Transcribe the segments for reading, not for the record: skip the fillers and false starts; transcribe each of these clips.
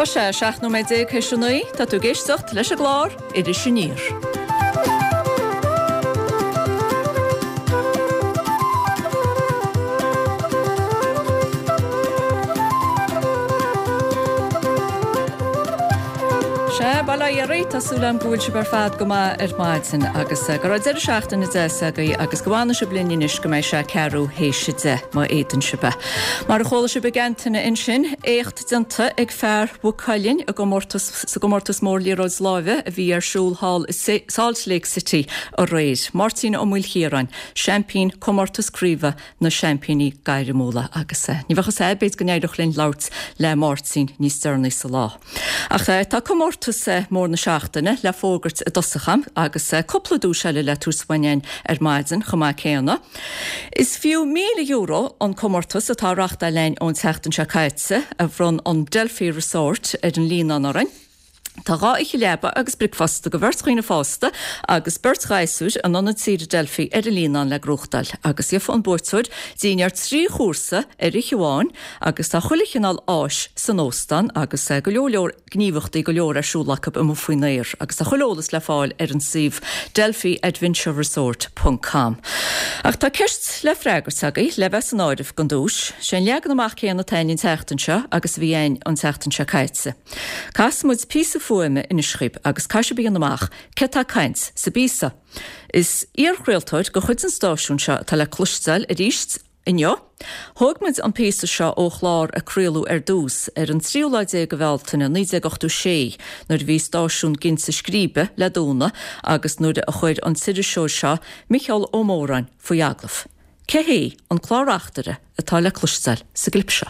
Tá sé 17 nóiméad théis a 9, tá tú ag éisteacht leis an gclár Iris Aniar. Sea, bail ó Dhia oraibh, tá súil agam go bhfuil sibh ar fad go maith ar maidin agus go raibh deireadh seachtaine deas agaibh agus go bhfanfaidh sibh linn anois go mbeidh sé ceathrú théis a 10, má fhéadann sibh é. Mar a chuala sibh ag Antaine ansin, éacht déanta ag fear Mhaigh Cuilinn i gcomórtas sa gcomórtas mór liathróid láimhe a bhí ar siúl thall i Salt Lake City aréir. Máirtín Ó Maoilchiaráin, seaimpín comórtas craoibhe na seaimpíní gairmiúla agus ní bheadh fhios a'd b'fhéidir go n-éireodh linn labhairt le Máirtín níos deireanaí sa lá. Ach tá comórtas mór na seachtaine le fógairt i dtosach a'm agus cúpla duais eile le tabhairt uainn ar maidin chomh maith céanna. Is fiú €1,000 an comórtas atá á reachtáil a'inn ón tseachtain seo caite, a bhronn an Delphi Resort ar an Líonán orainn. Tá 2 oíche leaba agus bricfeasta do bheirt dhaoine fásta agus beirt ghasúr in Ionad Saoire Delphi ar an Líonán le gnóthachtáil agus gheofa an buaiteoir dinnéar 3 chúrsa ar oíche amháin agus tá chuile chineál áis san óstán agus go leor leor gníomhachtaí go leor ar siúl acu amuigh faoin aer agus tá chuile eolas le fáil ar an suíomh delphiadventureresort ponc com. Ach tá ceist le freagairt agaibh le bheith san áireamh don duais. Sé an leagan amach céanna atá a'inn an tseachtain seo agus a bhí a'inn an tseachtain seo caite. Casfaidh muid píosa fuaime anois chugaibh agus caithfidh sibh a dhéanamh amach cé atá ag caint sa bpíosa. Is iarchraoltóir de chuid an stáisiúin seo atá le cloisteáil arís inniu. Thóg muid an píosa seo ó chlár a craoladh ar dtús ar an tríú lá déag de Bhealtaine 1986 nuair a bhí stáisiún ginte scríbe le dúnadh agus nuair a chuir an t-iriseoir seo Micheál Ó Móráin faoi agallamh. Cé hé an clár-reachtaire atá le cloisteáil sa gclip seo?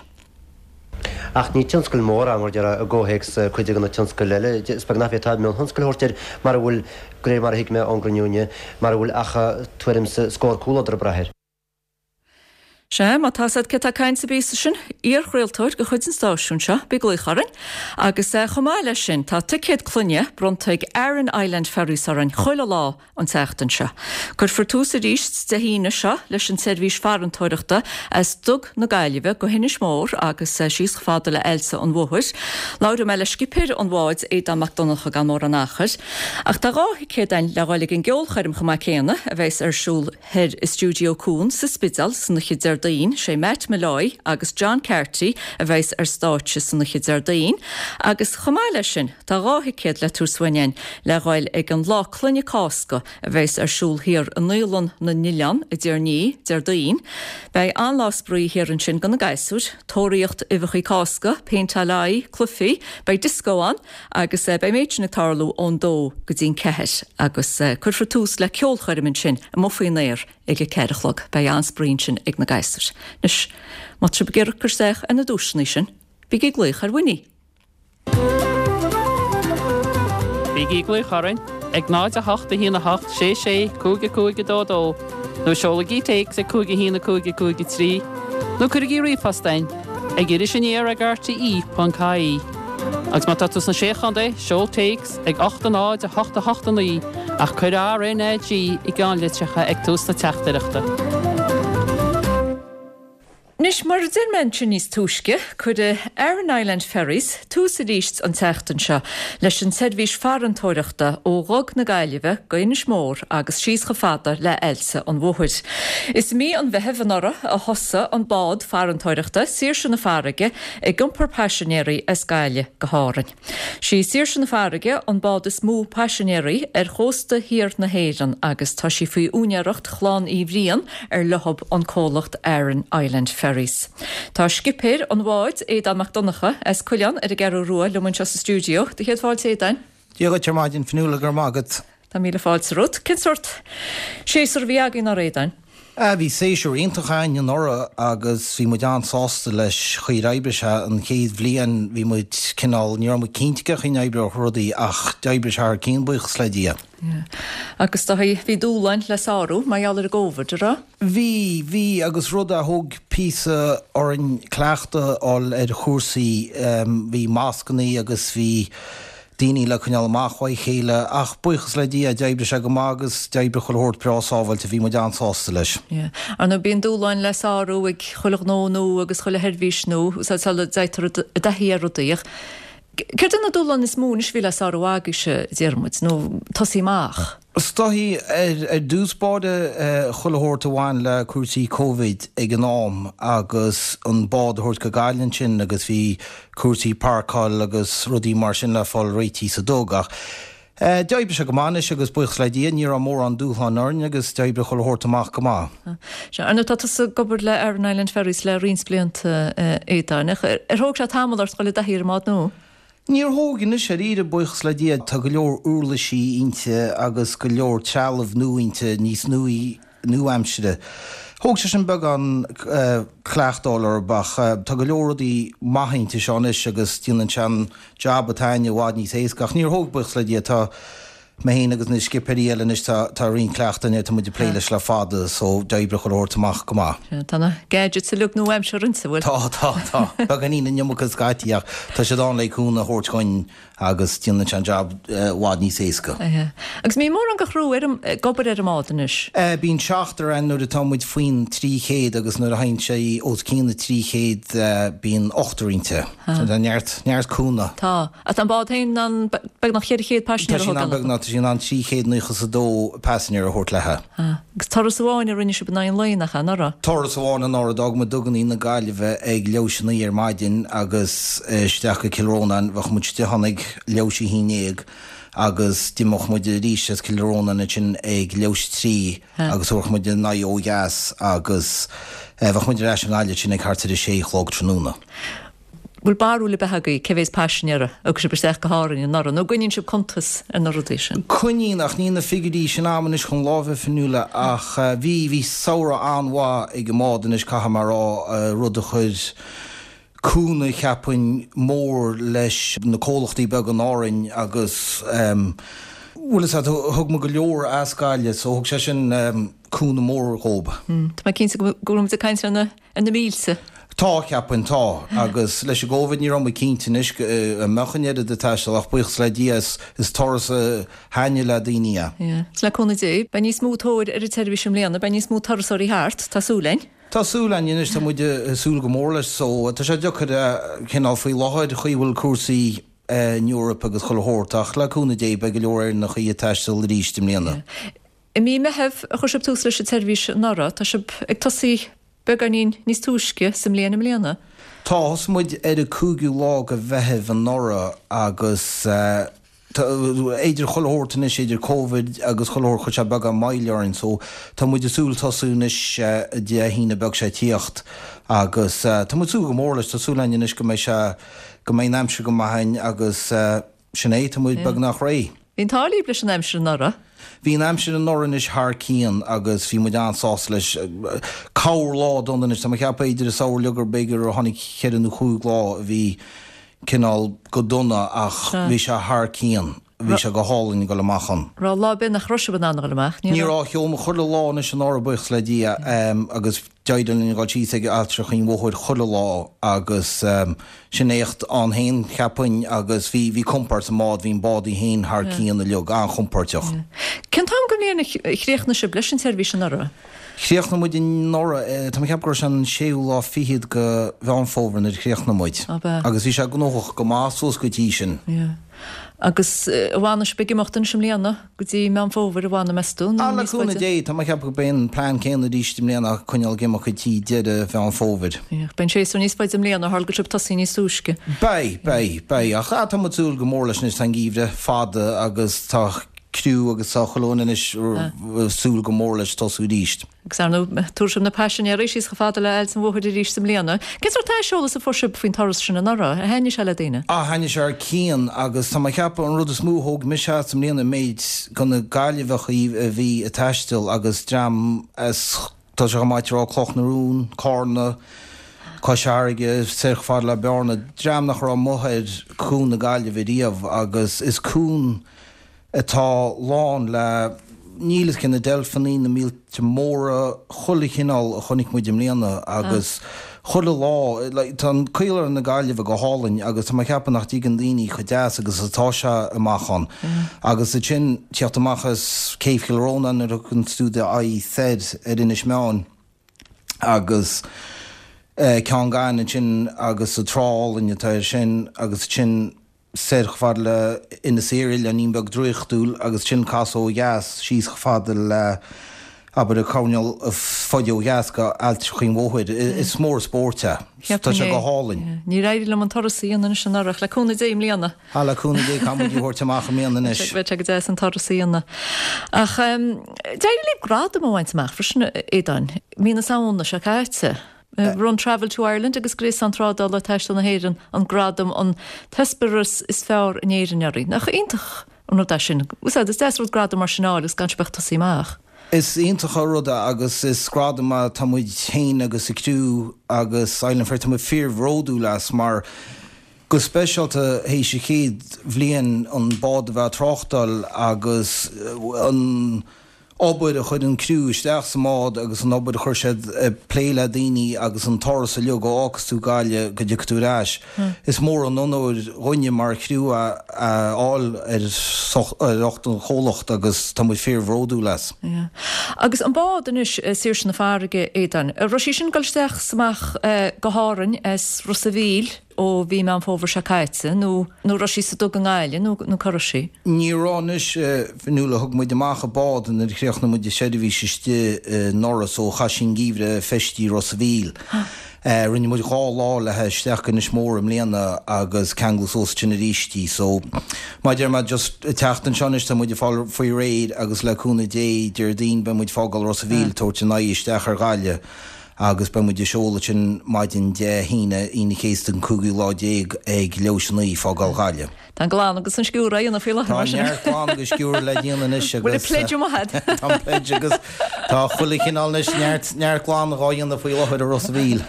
Ach ní tionscal mór é, mar a déarfá, i gcomhthéacs cuid de na tionscail eile. Is beag nach bhféadfá mionthionscal a thabhairt air, mara bhfuil, de réir mar a thuig mé ón gcruinniú inniu, mara bhfuil ach tuairim 's scór comhluadar ag brath air. Sea, má tá 'fhios a'd cé tá ag caint sa bpíosa sin, iarchraoltóir de chuid an stáisiúin seo, bí ag glaoch orainn. Agus chomh maith leis sin, tá ticéad clainne bronnta ag Aran Island Ferries orainn chuile lá an tseachtain seo. Cuirfear tús arís Dé hAoine seo leis an tseirbhís farantóireachta as Duga na Gaillimhe go hInis Mór agus síos chomh fada le Aillte an Mhothair. Labhróidh mé le scipéir an bháid, Aodán Mac Donncha gan mórán achair. Ach tá 2 thicéad againn le dhul ag an gceolchoirm chomh maith céanna a bheas ar siúl thoir i Stiúideo Cuan sa Spidéal san oíche Déardaoin. Sé Matt Molloy agus John Carty a bheas ar stáitse san oíche Déardaoin agus chomh maith leis sin, Tá 2 thicéad le tabhairt uainn againn le dhul ag an Lá Clainne Cásca a bheas ar siúl thiar i Naíolann na nOileán i dTír an Fhia, Déardaoin. Beidh an-lá spraoi thiar ansin do na gasúir, tóraíocht uibheachaí Cásca, péinteáil aghaidh, cluichí, beidh dioscó ann agus beidh an méid sin ag tarlú ón dó go dtí'n ceathair agus cuirfear tús le ceolchoirm ansin amuigh faoin aer ag a ceathair a chlog. Beidh an-spraoi ansin ag na gasúir. Anois, má tá sibh ag iarraidh cur isteach ar na duaiseanna sin, bígí ag glaoch ar Winnie! Bígí ag glaoch orainn ag 0 8 1 8 6 6 5 5 2 2 nó seolaigí téacs ag 5 1 5 5 3 nó cuirigí ríomhphost chugainn ag irisaniar ag rte.ie. Agus má tá tú sna Sé Chontae, seol téacs ag 8 0 8 8 9 ach cuir RNAG i gceannlitreacha ag tús na teachtaireachta. Anois, mar a deir mé ansin níos túisce, cuirfidh Aran Island Ferries tús arís an tseachtain seo leis an tseirbhís farantóireachta ó Dhug na Gaillimhe go Inis Mór agus síos chomh fada le Aillte an Mhothair. Is i mí an Mheithimh anuraidh a thosaigh an bád farantóireachta, Saoirse na Farraige, ag iompar paisinéirí as Gaillimh go hÁrainn. Sí Saoirse na Farraige an bád is mó paisinéirí ar chósta thiar na hÉireann agus tá sí faoi úinéireacht Chlann Uí Bhriain ar leothab an comhlacht Aran Island Ferries. Tá scipéir an bháid, Aodán Mac Donncha, as Cuileán ar an gCeathrú Rua liom anseo sa stiúideo. Do chéad fáilte Aodáin. Dia dhuit ar maidin, Fionnuala, go raibh maith agat. Tá míle fáilte romhat. Cén sórt séasúr a bhí againn anuraidh, a Aodáin? Ah, bhí séasúr iontach againn anuraidh agus bhí muid an-sásta leis chaoi ar oibrigh sé. An chéad bhliain bhí muid cineál, ní raibh muid cinnte cén chaoi a n-oibreodh rudaí ach d'oibrigh sé thar cionn, buíochas le Dia. Yeah. Agus do bhí dúshláin le sárú mar gheall ar an gCóvid, a raibh? Bhí, bhí agus rud a thóg píosa orainn cleachtadh a fháil ar chúrsaí, bhí mascannaí agus bhí, daoine le coinneáil amach ó chéile ach buíochas le Dia d'oibrigh sé go maith agus d'oibrigh chuile shórt breá sábháilte, bhí muid an-sásta leis. Yeah. Ar ndóigh bíonn dúshláin le sárú ag chuile ghnó nua agus chuile sheirbhís nua, sula dtéitear i dtaithí ar rudaí ach. Céard é na dúshláin is mó anois a bhí le sárú agaibhse, a Dhiarmuid, nó tosaí amach? Is dóichí, ar dtús báire, chuile shórt a bhain le cúrsaí Covid ag an am agus an bád a thabhairt go Gaillimh ansin agus bhí cúrsaí páirceáil agus rudaí mar sin le fáil réitithe sa dug ach d'oibrigh sé go maith anois agus buíochas le Dia ní raibh mórán dúshláin orainn agus d'oibrigh chuile shórt amach go maith. Sea, ar ndóigh tá tusa ag obair le Aran Island Ferries le roinnt blianta, Aodáin, ach ar thóg sé tamall ort dhul i dtaithí ar an mbád nua? Níor thóg anois dáiríre, buíochas le Dia. Tá go leor uirlisí inti agus go leor trealamh nua inti, níos nuaí, nua-aimsire. Thóg sé sin beagán cleachtáil orthu ach tá go leor rudaí maithe inti seo anois agus déanann sé an jab atá againne i bhfad níos éasca. Ach níor thóg, buíochas le Dia. Tá mé féin agus na scipéirí eile anois, tá tá roinnt cleachtaidh againne, tá muid ag plé leis le fada so d'oibrigh chuile shórt amach go maith. Tá na gadgets uilig nua-aimseartha inti, bhfuil? Tá, tá, tá. Beagáinín an iomarca scaití ach tá siad ann le cúnamh a thabhairt dhuinn. agus déanann sé an jab i bhfad níos éasca. Agus mbíonn mórán de chriú ar an, ag obair ar an mbád anois? Bíonn seachtar ann nuair atá muid faoin 300 agus nuair a théann sé os cionn na 300 bíonn ochtar inti. So tá neart, neart cúnamh. Tá. Ach tá an bád féin in ann beagnach 400 paisinéir a thógáil. Tá sí in ann beagnach, tá sí in ann 392 paisinéir a thabhairt léithe. Agus turas amháin a rinne sibh in aghaidh an lae, nach ea, anuraidh? Turas amháin anuraidh, d'fhág muid dugannaí na Gaillimhe ag leathuair théis a naoi ar maidin agus isteach go Cill Rónáin, bheadh muid istigh ann ag leathuair théis a haon déag agus d'imeodh muid arís as Cill Rónáin ansin ag leathuair théis a trí agus thabharfadh muid an aghaidh ó dheas agus bheadh muid ar ais i nGaillimh ansin ag thart ar a sé a chlog tráthnóna. Bhfuil barúil ar bith agaibh cé mhéad paisinéir a thug sibh isteach go hÁrainn anuraidh, nó an gcoinníonn sibh cuntas ar na rudaí sin? Coinníonn, ach níl na figiúirí sin a'm anois chun láimhe, Fionnuala, ach bhí, bhí samhradh an-mhaith ag an mbád anois, caithfidh mé a rá, rud a chuir cúnamh, cheapfainn, mór leis na comhlachtaí beaga in Árainn agus, bhfuil fhios a'd, thug muid go leor as Gaillimh so thug sé sin cúnamh mór dhób. Tá mé cinnte go bhfuil muid ag caint ar na. Ar na mílte. Tá, cheapfainn, tá. Agus leis an gCóivid ní raibh muid cinnte anois an mbeadh an oiread ag taisteal ach buíochas le Dia is turas a thaitnigh le daoine é. Yeah. Is le cúnamh Dé, beidh níos mó tóir ar an tseirbhís i mbliana, beidh níos mó turasóirí thart, tá súil againn. Tá súil againn anois, tá muid ag súil go mór leis so tá sé deacair cineál faoi láthair chaoi a bhfuil cúrsaí in Europe agus chuile shórt ach le cúnamh Dé beidh go leor Éireannachaí ag taisteal arís i mbliana. Yeah. I mí Meithimh a chuir sibh tús leis an tseirbhís anuraidh, tá sibh ag tosaí beagáinín níos túisce sa mbliain i mbliana. Tá, thosaigh muid ar an cúigiú lá de Mheitheamh anuraidh agus tá, idir chuile shórt anois, idir Covid agus chuile shórt, chuir sé beagán moill orainn so tá muid ag súil tosú anois Dé hAoine beag seo ag tíocht agus tá muid ag súil go mór leis, tá súil againn anois go mbeidh sé, go mbeidh an aimsir go maith againn agus. Sin é, tá muid beagnach réidh. Bhí an t-ádh libh leis an aimsir anuraidh. Bhí an aimsir anuraidh anois thar cionn agus bhí muid an-sásta leis. Corr lá dona anois, tá mé ag ceapadh idir an samhradh uilig gur b'fhéidir gur tháinig cheithre nó chúig lá a bhí cineál go dona ach bhí sé thar cionn. Bhí sé go hálainn ag dul amach ann. Raibh lá ar bith nach raibh sibh in ann a dhul amach? Ní raibh. Shiúil muid chuile lá anois anuraidh buíochas le Dia agus D'éirigh linn a dhul síos ag Ailltreach an Mhothair chuile lá agus sin éacht ann féin, cheapfainn, agus bhí, bhí compord sa mbád, bhí an bád í féin thar cionn uilig, an-chompóirteach. Cén t-am den bhliain a chríochnaigh sibh leis an tseirbhís anuraidh? Chríochnaigh muid anuraidh, tá mé ag ceapadh go raibh sé an séú lá fichead de Mheán Fómhair nuair a chríochnaigh muid. Ab ea? Agus bhí sé gnóthach go maith suas go dtí sin. Yeah. Agus an bhfanfaidh sibh ag imeacht anois i mbliana go dtí Meán Fómhair, an bhfanfaidh, meas tú, nó níos faide? Le cúnamh Dé, tá mé ag ceapadh go beidh an plean céanna arís i mbliana ach coinneáil ag imeacht go dtí deireadh Mheán Fómhair. Yeah, beidh an séasúr níos faide i mbliana, tharla go raibh sibh ag tosaí níos túisce. Beidh, beidh, beidh, ach ah tá muid ag súil go mór leis anois, tá an geimhreadh fada agus tá criú agus tá chuile dhuine anois ag súil go mór leis tosú arís. Agus ar ndóigh, tabharfaidh sibh na paisinéirí síos chomh fada le Ailt an Mhothair arís i mbliana. Cén sórt aiseolas a fuair sibh faoin turas sin anuraidh? Ar thaitnigh sé le daoine? Ah, thaitnigh sé thar cionn agus tá mé ag ceapadh an rud is mó a thóg mise as i mbliana an méid de na Gaillimheachaí a bhí ag taisteal agus dream as, tá sé chomh maith a rá, Cloch na Rún, Cárna, Cois Fharraige, soir chomh fada le Bearna, dream nach raibh amuigh ar Chuan na Gaillimhe riamh agus is cuan atá lán le, níl 'fhios cé na deilfeanna, na míolta móra, chuile chineál a chonaic muid i mbliana agus chuile lá, like, tá an Caoláire na Gaillimhe go hálainn agus tá mé ag ceapadh nach dtuigeann daoine chomh deas agus atá sé amach ann. Agus ansin tíocht amach as Céibh Chill Rónáin nuair a thugann tú d'aghaidh soir ar Inis Meáin agus Ceann Gainimh ansin agus an trá álainn atá air sin agus ansin. soir chomh fada le Inis Oírr, oileáinín beag draíochtúil, agus ansin casadh ó dheas síos chomh fada le, abair, an coirnéal is faide ó dheas go Ailt Chaoin Bhóthair. Is mór an spórt é. Tá sé go hálainn. Níor éirigh liom an turas a dhéanamh anois anuraidh, ach le cúnamh Dé i mbliana. Á, le cúnamh Dé, caithfidh muid í a thabhairt amach i mbliana anois. Bheadh sé go deas an turas a dhéanamh. Ach d'éirigh libh gradam a bhaint amach freisin, Aodáin, mí na Samhna seo caite. Bhronn Travel to Ireland agus Gréasán Trádála Taistil na hÉireann an gradam an t-eispéireas is fearr in Éirinn oraibh. Nach iontach an rud é sin? Is deas rud gradam mar sin a fháil agus gan sibh ach ag tosaí amach. Is iontach an rud é agus is gradam é tá muid féin agus an criú agus Island Ferries, tá muid fíorbhródúil as mar go speisialta théis an chéad bhliain an bád a bheith ag tráchtáil agus an obair a chuir an criú isteach sa mbád agus an obair a chuir siad ag plé le daoine agus an turas uilig ó fhágfas tú Gaillimh go dtiocfaidh tú ar ais. Is mór an onóir dhúinne mar chriú é a fháil ar ucht an chomhlacht agus tá muid fíorbhródúil as. Yeah. Agus an bád anois, Saoirse na Farraige, Aodáin, an raibh sí sin ag dul isteach 's amach go hÁrainn as Ros a' Mhíl? ó mhí Meán Fómhair seo caite, nó nó raibh sí sa duga i nGaillimh, nó nó cá raibh sí? Ní raibh anois, Fionnuala, thug muid amach an bád nuair a chríochnaigh muid an seirbhís istigh anuraidh so chaith sí an geimhreadh feistithe i Ros a' Mhíl. Rinne muid 2 lá léi isteach go Inis Mór i mbliana agus ceangladh suas ansin arís í so mar a deir mé just an tseachtain seo anois tá muid ag fáil faoi réir agus le cúnamh Dé Déardaoin beidh muid ag fágáil Ros a' Mhíl tabhairt an aghaidh isteach ar Ghaillimh. agus beidh muid ag seoladh ansin maidin Dé hAoine, Aoine an Chéasta an cúigiú lá déag ag leathuair théis a 9, fágáil Ghaillimh. Tá an glanadh agus an sciúradh á dhéanamh faoi láthair mar sin. Tá neart glanadh agus sciúradh le déanamh anois agus. Bhfuil an pledge amuigh agat? Tá an pledge agus tá chuile chineál anois, neart, neart glanadh á dhéanamh faoi láthair i Ros a' Mhíl.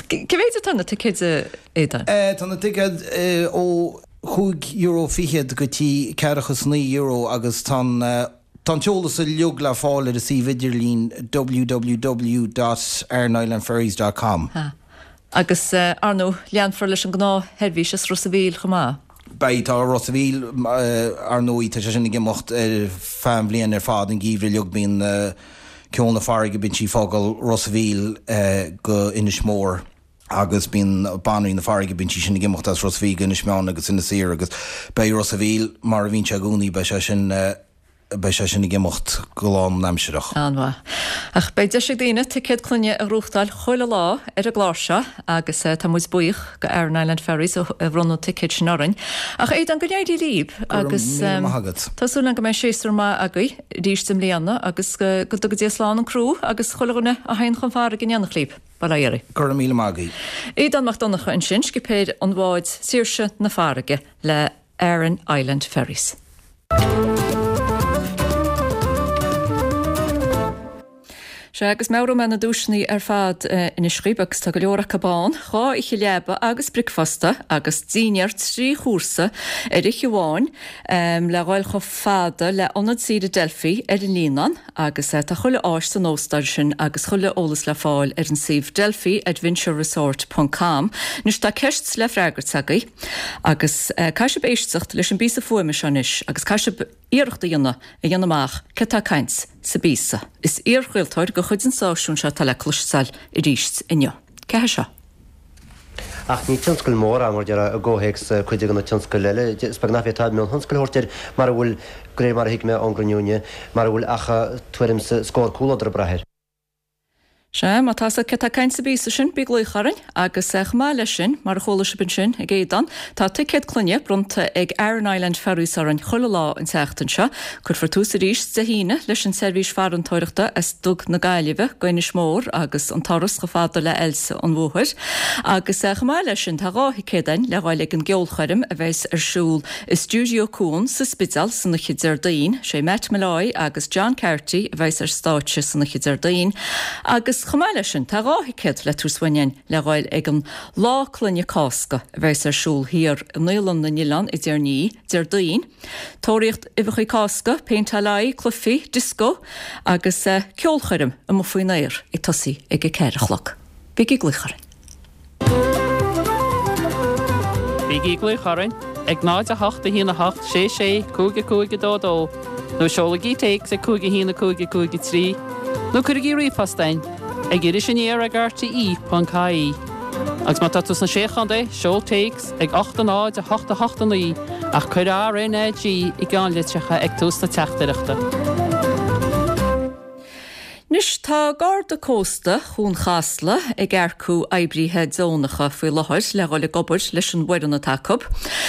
Cé mhéid atá na ticéid, a Aodáin? Tá na ticéid ó €5.20 go dtí ceathracha is €9 agus tá an. Tá an t-eolas uilig le fáil ar an suíomh idirlín www dot arannislandferries dot com. Ha. Agus, ar ndóigh, leanfar leis an ngnáthsheirbhís as Ros a' Mhíl chomh maith. Beidh. Tá Ros a' Mhíl, ar ndóigh, tá sé sin ag imeacht ar feadh an bhliain ar fad, an geimhreadh uilig bíonn Ceol na Farraige, bíonn sí ag fágáil Ros a' Mhíl go Inis Mór. agus bíonn Banríon na Farraige, bíonn sí sin ag imeacht as Ros a' Mhíl go Inis Meáin agus Inis Oírr agus beidh Ros a' Mhíl mar a bhíonn sé i gcónaí, beidh sé sin, beidh sé sin ag imeacht go lánaimsireach. An-mhaith. Ach beidh deis ag daoine ticéad clainne a ghnóthachtáil chuile lá ar an gclár seo agus tá muid buíoch go Aran Island Ferries a bhronn na ticéid sin orainn. Ach Aodán, go n-éirí libh agus Go raibh míle maith agat. tá súil agam go mbeidh séasúr maith agaibh arís i mbliana agus go dtuga Dia slán an criú agus chuile dhuine a théann chun farraige in éineacht libh. Bail ó Dhia oraibh. Go raibh míle maith agaibh. Aodán Mac Donncha ansin, scipéir an bháid Saoirse na Farraige le Aran Island Ferries. Sea, agus meabhróidh mé na duaiseanna ar fad anois dhaoibh, agus tá go leor acu ann, 2 oíche leaba agus bricfeasta agus dinnéar 3 chúrsa ar oíche amháin le dhul chomh fada le Ionad Saoire Delphi ar an Líonán. Agus tá chuile áis san óstán sin agus chuile eolas le fáil ar an suíomh Delphi Adventure Resort ponc com. Anois tá ceist le freagairt agaibh agus caithfidh sibh éisteacht leis an bpíosa fuaime seo anois agus caithfidh sibh iarracht a dhéanamh a dhéanamh amach cé atá ag caint sa bpíosa. Is iarchraoltóir de chuid an stáisiúin seo atá le cloisteáil arís inniu. Cé hé seo? Ach ní tionscal mór é, mar a déarfá, i gcomhthéacs cuid de na tionscail eile. Is beag nach bhféadfá mionthionscal a thabhairt air, mara bhfuil, de réir mar a thuig mé ón gcruinniú inniu, mara bhfuil ach tuairim 's scór cúlódar ag brath air. Sea, má tá 'fhios agat cé tá ag caint sa bpíosa sin, bí ag glaoch orainn. Agus chomh maith leis sin, mar a chuala sibh ansin ag Aodán, tá ticéad clainne bronnta ag Aran Island Ferries orainn chuile lá an tseachtain seo. Cuirfear tús arís Dé hAoine leis an tseirbhís farantóireachta as Dug na Gaillimhe go Inis Mór agus an turas chomh fada le Aillte an Mhothair. Agus chomh maith leis sin tá 2 thicéad againn le dhul ag an gceolchoirm a bheas ar siúl i Stiúideo Cuan sa Spidéal san oíche Déardaoin. Sé Matt Molloy agus John Carty a bheas ar stáitse san oíche Déardaoin. Agus chomh maith leis sin tá 2 thicéad le tabhairt uainn againn le dhul ag an Lá Clainne Cásca a bheas ar siúl thiar i Naíolann na nOileán i dTír an Fhia, Déardaoin. Tóraíocht uibheacha Cásca, péinteáil aghaidhe, cluichí, dioscó agus ceolchoirm amuigh faoin aer ag tosaí ag a 4 a chlog. Bígí ag glaoch orainn. Bígí ag glaoch orainn ag 0 8 1 8 6 6 5 5 2 2 nó seolaigí téacs ag 5 1 5 5 3 nó cuirigí ríomhphost chugainn ag irisaniar ag rte.ie. Agus má tá tú sna Sé Chontae, seol téacs ag 8 0 8 8 9 ach cuir RNAG i gceannlitreacha ag tús na teachtaireachta. Anois tá Garda Cósta Chuan Chasla ag earcú oibríthe deonacha faoi láthair le dhul ag obair leis an bhfoireann atá acu.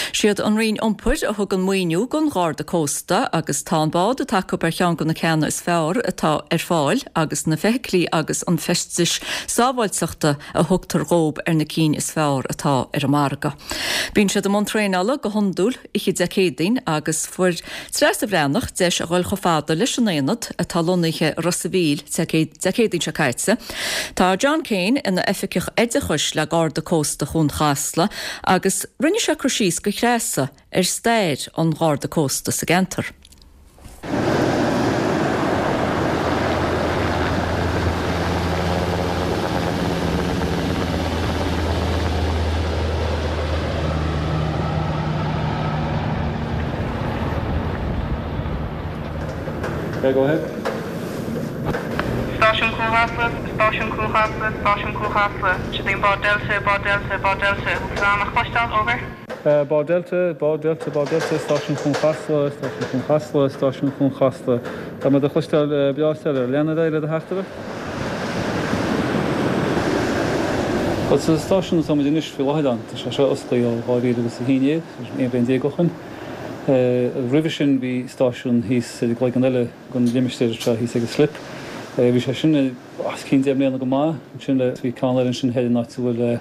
Siad an Roinn Iompair a thugann maoiniú don Gharda Cósta agus tá an bád atá acu ar cheann de na ceanna is fearr atá ar fáil agus na feithiclí agus an feistis sábháilteachta a thugtar dhób ar na cinn is fearr atá ar an margadh. Bíonn siad i mbun traenála go hiondúil oíche Dé Céadaoin agus fuair Treasa Bhreathnach deis a dhul chomh fada leis an aonad atá lonnaithe i Ros a' Mhíl Dé Céadaoin seo caite. Tá John Kane ina oifigeach oideachais le Garda Cósta Chuan Chasla agus rinne sé cur síos do Threasa ar stair an Gharda Cósta sa gceantar. Okay, go ahead. Stáisiún Chuan Chasla, Stáisiún Chuan Chasla, Stáisiún Chuan Chasla, Siod é an bád Delta, bád Delta, bád Delta, bhfuil tú in ann a chloisteáil? Over. Bád Delta, Bád Delta, Bád Delta, Stáisiún Chuan Chasla, Stáisiún Chuan Chasla, Stáisiún Chuan Chasla. Tá mé do chloisteáil breá soiléir. Lean ar aghaidh le do theachtaireacht. Bhuel, sa stáisiún atá muid anois faoi láthair ann, tá sé seo osclaithe ó 2011, 11 bliain ó shin. Roimhe sin bhí stáisiún thíos ar an gcloigeann eile den limistéar seo, thíos ag an Slip. Bhí sé sin os cionn 10 mbliana go maith. Ansin bhí ceann eile ansin thoir in áit a bhfuil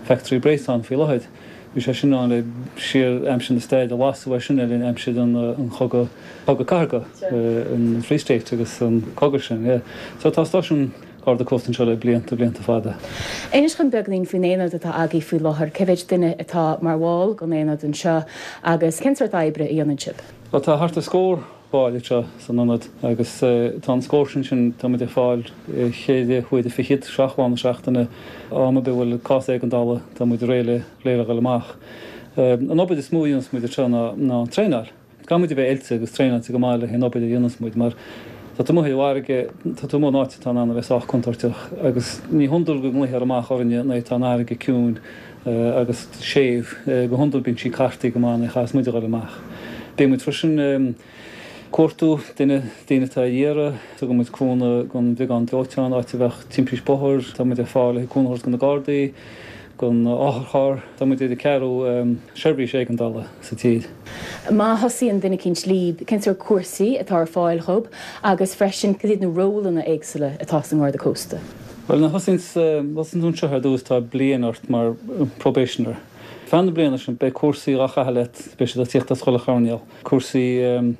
Factory Bréasán faoi láthair. Bhí sé sin ann le siar aimsir na staire, lasadh é sin le linn aimsir an chogadh, cogadh cathartha, an Free State agus an cogadh sin, yeah. So tá stáisiún Garda Cósta anseo le blianta, blianta fada. Inis dhom beagáinín faoin aonad atá agaibh faoi láthair. Cé mhéid duine atá mar bhall den aonad anseo agus cén sórt oibre a dhéanann sibh? Bhuel tá thart ar scór ball anseo san ionad agus tá an scór sin sin, tá muid ar fáil cheithre huaire fichead, 7 lá na seachtaine, am ar bith a bhfuil cás éigeandála tá muid réidh le réidh le dhul amach. An obair is mó a dhéanas muid anseo ná ná an traenáil. Caithfidh muid a bheith oilte agus traenáilte go maith le haon obair a dhéanas muid mar tá tú amuigh ar an bhfarraige, tá tú amuigh in áit atá in ann a bheith sách contúirteach agus ní hiondúil go nglaoitear amach orainne nuair atá an fharraige ciúin agus séimh. Go hiondúil bíonn sí cartaithe go maith nuair a chaitheas muid a dhul amach. Bíonn muid freisin ag cuartú duine, daoine atá ar iarraidh. Tugann muid cúnamh don bhriogáid dóiteáin áit a bheadh timpist bóthair. Tá muid ar fáil le cúnamh a thabhairt do na Gardaí, don otharcharr. Tá muid ar an ceathrú seirbhís éigeandála sa tír. Má thosaíonn duine eicínt líb, cén sórt cúrsaí atá ar fáil dhób agus freisin cad iad na rólanna éagsúla atá sa nGarda Cósta? Bhuel, nuair a thosaíonn tú anseo ar dtús tá bliain ort mar probationer. Feadh na bliana sin beidh cúrsaí dhá chaitheamh leat, beidh siad ag tíocht as chuile choirnéal. Cúrsaí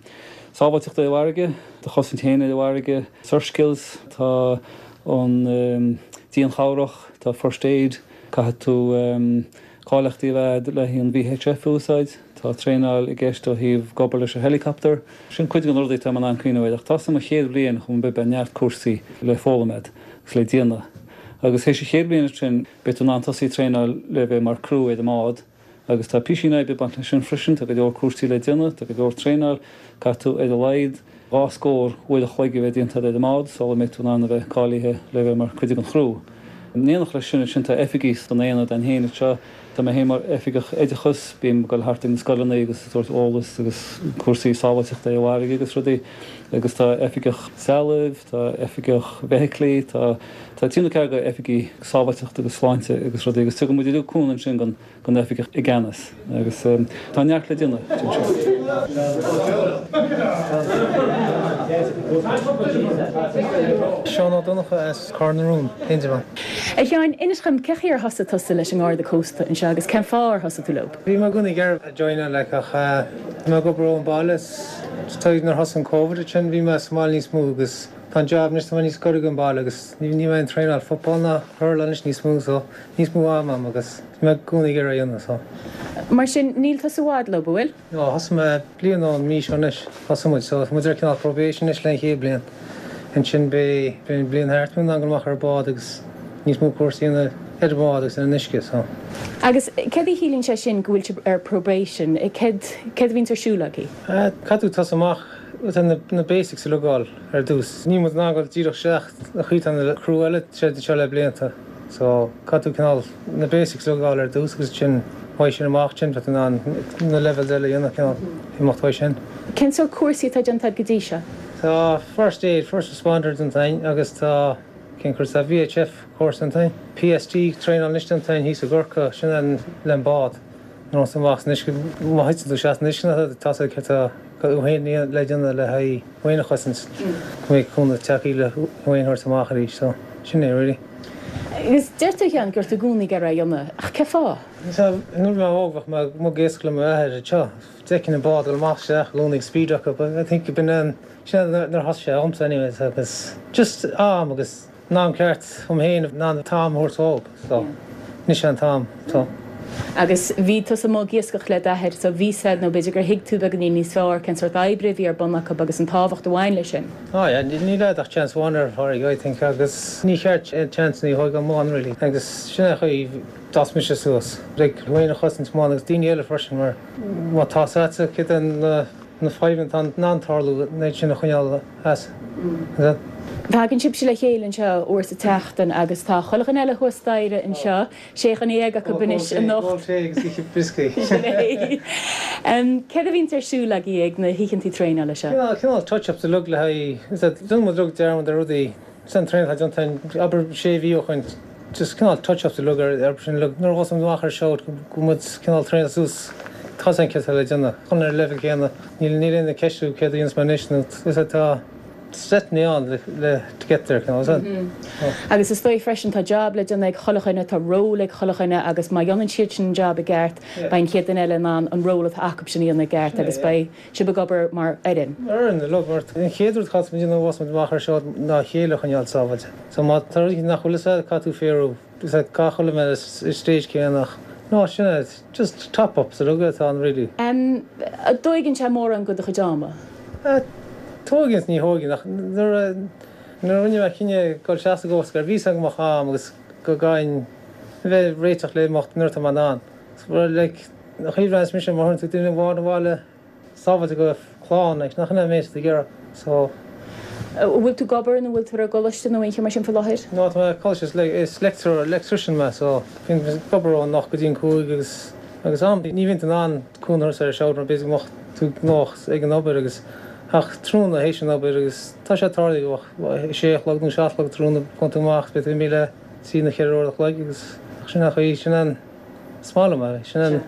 sábháilteachta ar an bhfarraige, do chosaint féin ar an bhfarraige, surf skills, tá an dianchabhrach, tá first aid, caithfidh tú cáilíochtaí a bheith agat le haghaidh an VHF a úsáid, tá traenáil i gceist ó thaobh ag obair leis an helicopter. Sin cuid de na rudaí atá mé in ann cuimhneamh air ach tá sa mo chéad bhliain chomh maith beidh neart cúrsaí le foghlaim agat agus le déanamh. Agus théis an chéad bhliain sin beidh tú in ann tosaí ag traenáil le bheith mar crew ar an mbád agus tá písín oibre ag baint leis sin freisin, tá go leor cúrsaí le déanamh, tá go leor traenáil, caithfidh tú ar a laghad 2 scór uair a chloig a bheith déanta agat ar an mbád sula mbeidh tú in ann a bheith cáilithe le bheith mar cuid den chriú. In éineacht leis sin ansin tá oifigigh san aonad againn féin anseo. Tá mé féin mar oifigeach oideachais, bím ag dul thart ag na scoileanna agus ag tabhairt eolas agus cúrsaí sábháilteachta ar an bhfarraige agus rudaí agus tá oifigeach trealaimh, tá oifigeach feithiclí, tá tá trí nó ceathair de oifigigh sábháilteachta agus sláinte agus rudaí agus tugann muid uilig cúnamh ansin don don oifigeach i gceannas agus tá neart le déanamh anseo. Seán Ó Donnchadha as Cor na Rún, Indreabhán. A Sheáin, inis dhom, cén chaoi ar thosaigh tusa leis an nGarda Cósta anseo agus cén fáth ar thosaigh tú leo? Bhí mé i gcónaí ag iarraidh joineáil like ach bhí mé ag obair ón baile is nuair a thosaigh an Covid ansin bhí mé sa mbaile níos mó agus tá an job anois tá mé níos gaire don baile agus ní mé ag traenáil football ná hurl anois níos mó so níos mó am agam agus bhí mé i gcónaí ag iarraidh a dhéanamh so. Mar sin, níl tusa i bhfad leo, bhfuil? No, thosaigh mé bliain ón mí seo anois, thosaigh muid, so tá muid ar cineál probation anois le an chéad bliain. Ansin beidh, beidh an bliain thart, beidh mé in ann dul amach ar an bád agus níos mó cúrsaí a dhéanamh ar an bhád agus ar an uisce, so. Agus céard a chiallaíonn sé sin go bhfuil sibh ar probation? Céard, céard a bhíonns ar siúl agaibh? Caithfidh tú tosú amach with na, na basics uilig a fháil ar dtús. Níl muid in ann dul díreach isteach an chaoi atá na crew eile tar éis seo le blianta. So caithfidh tú cineál na basics a fháil ar dtús agus ansin uaidh sin amach ansin beidh tú in ann na levels eile a dhéanamh cineál imeacht uaidh sin. Cén sórt cúrsaí atá déanta agat go dtí seo? Tá first aid, first responder déanta againn agus tá, cén cúrsa, tá VHF cúrsa déanta againn, PST traenáil anois déanta againn thíos i gCorcaigh, sin an le an bád. Nuair a amach san uisce, má thiteann tú isteach san uisce tá a fhios agat céard atá tú féin le déanamh le haghaidh thú féin a chosaint, go mbeidh cúnamh tagtha le thú féin a thabhairt amach arís. So, sin é really. Agus deir tú, a Sheáin, go raibh tú i gcónaí ag iarraidh é a dhéanamh, ach cén fáth? Sea, nuair a bhí mé óg bheadh mé amuigh ag iascach le m'athair anseo. D'fheicfinn an bád ag dul amach isteach i gcónaí ag speed acu but I think b'in an, sin nuair a thosaigh sé dhomsa anyways agus just am agus An am ceart dhom féin in ann an t-am a thabhairt dhób so anois é an t-am so. Agus bhí tusa amuigh ag iascach le d'athair so bhí a fhios agat nó b'fhéidir gur thuig tú beagáinín níos fearr cén sórt oibre a bhí ar bun acu agus an tábhacht a bhain leis sin. Oh yeah, níl agat ach chance amháin ar an bhfarraige I think agus ní cheart aon chance a thógáil amú really agus sin é an chaoi d'fhás mise suas. Like thú féin a chosaint amháin agus daoine eile freisin mar má tá a fhios agat céard é na na fadhbanna atá in ann tarlú an méid sin a choinneáil as. Tagann sibhse le chéile anseo uair sa tseachtain agus tá chuile dhuine eile thuas staighre anseo, sé dhuine dhéag acu anois anocht. Ól tae agus ithe brioscaí. Sin é. Céard a bhíonns ar siúl agaibh ag na hoícheantaí traenála seo? Cineál touch-ups uilig le haghaidh, déanann muid uilig dearmad ar rudaí. Sin traenáil atá déanta againn, abair sé mhí ó shoin, just cineál touch-ups uilig ar ar sin uilig. Nuair a ghabhfas muid amach ar shout go bhfuil muid cineál traenáilte suas, tá a fhios againn céard atá le déanamh, chun ar an leibhéal céanna. Níl níl aon ceistiú céard a dhéanfas mé anois nó is é tá stepney ann le le to get there cineál, is ea? Agus is dóigh freisin tá job le déanamh ag chuile dhuine, tá ról ag chuile dhuine agus má dhéanann siad sin an job i gceart, beidh an chéad duine eile in ann an ról atá acu sin a dhéanamh i gceart agus beidh sibh ag obair mar fhoireann. Mar fhoireann, uilig, mar an chéad rud a chaithfeas muid a dhéanamh nuair a bheas muid amach ar shout ná a chéile a choinneáil sábháilte. So má tá rud éicint nach bhfuil fhios agat, caithfidh tú fiafraí, is ea, caithfidh chuile dhuine bheith sa stage céanna ach no, sin é, just top ups uilig atá ann really. An dtóigeann sé mórán de do chuid ama? Tóigeann is ní thóigeann ach nuair a nuair a rinne mé cinneadh dul isteach sa gCoast Guard bhí fhios agam go mbeadh am agus go gcaithfinn a bheith réiteach le imeacht nuair atá mé in ann. So like, An chaoi a bhreathnaíos mise má thabharann tú duine amháin abhaile sábháilte go clann, like, nach in é an méid atá tú ag iarraidh, so. An bhfuil tú ag obair nó an bhfuil tú ar an gcoláiste nó aon cheo mar sin faoi láthair? No, tá mé ag coláiste, is is lecturer, electrician mé, so bíonn mé ag obair ón 8 go dtí an 5 agus agus am, ní bhíonn tú in ann cúnamh a thabhairt ar an shout mar b'fhéidir go mbeadh tú gnóthach ag an obair agus ach tráthnóna théis an obair agus tá sé tarlaithe go mbeadh sé a chlog nó 7 a chlog tráthnóna gabhann tú amach beidh tú imithe le trí nó cheithre uair a chloig agus sin an chaoi, sin an. Is maith liom é. Sin an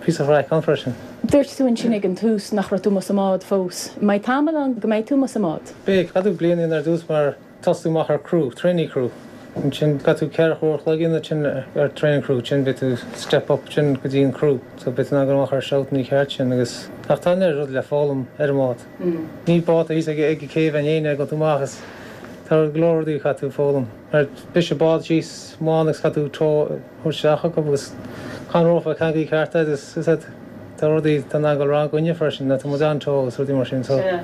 píosa craic ann freisin. Dúirt tú ansin ag an tús nach raibh tú amuigh sa mbád fós. An mbeidh tamall ann go mbeidh tú amuigh sa mbád? Beidh. Caithfidh tú bliain a dhéanamh ar dtús mar tosú amach ar crew, trainee crew. Ansin caithfidh tú 4 uair a chloig a dhéanamh ansin ar training crew, ansin beidh tú step up ansin go dtí an crew. So beidh tú in ann dul amach ar shout an ceart sin agus ach tá an oiread rud le foghlaim ar an mbád. Ní bád thíos ag ag an céibh in éinne ag dul amach is tá go leor rudaí a chaithfidh tú foghlaim. Mar briseadh bád síos amháin agus caithfidh tú tow thabhairt isteach acu agus gan rópa ceangail ceart agus is ea tá rudaí tá in ann dul wrong againne freisin tá muid an-teo agus rudaí mar sin so. Sea.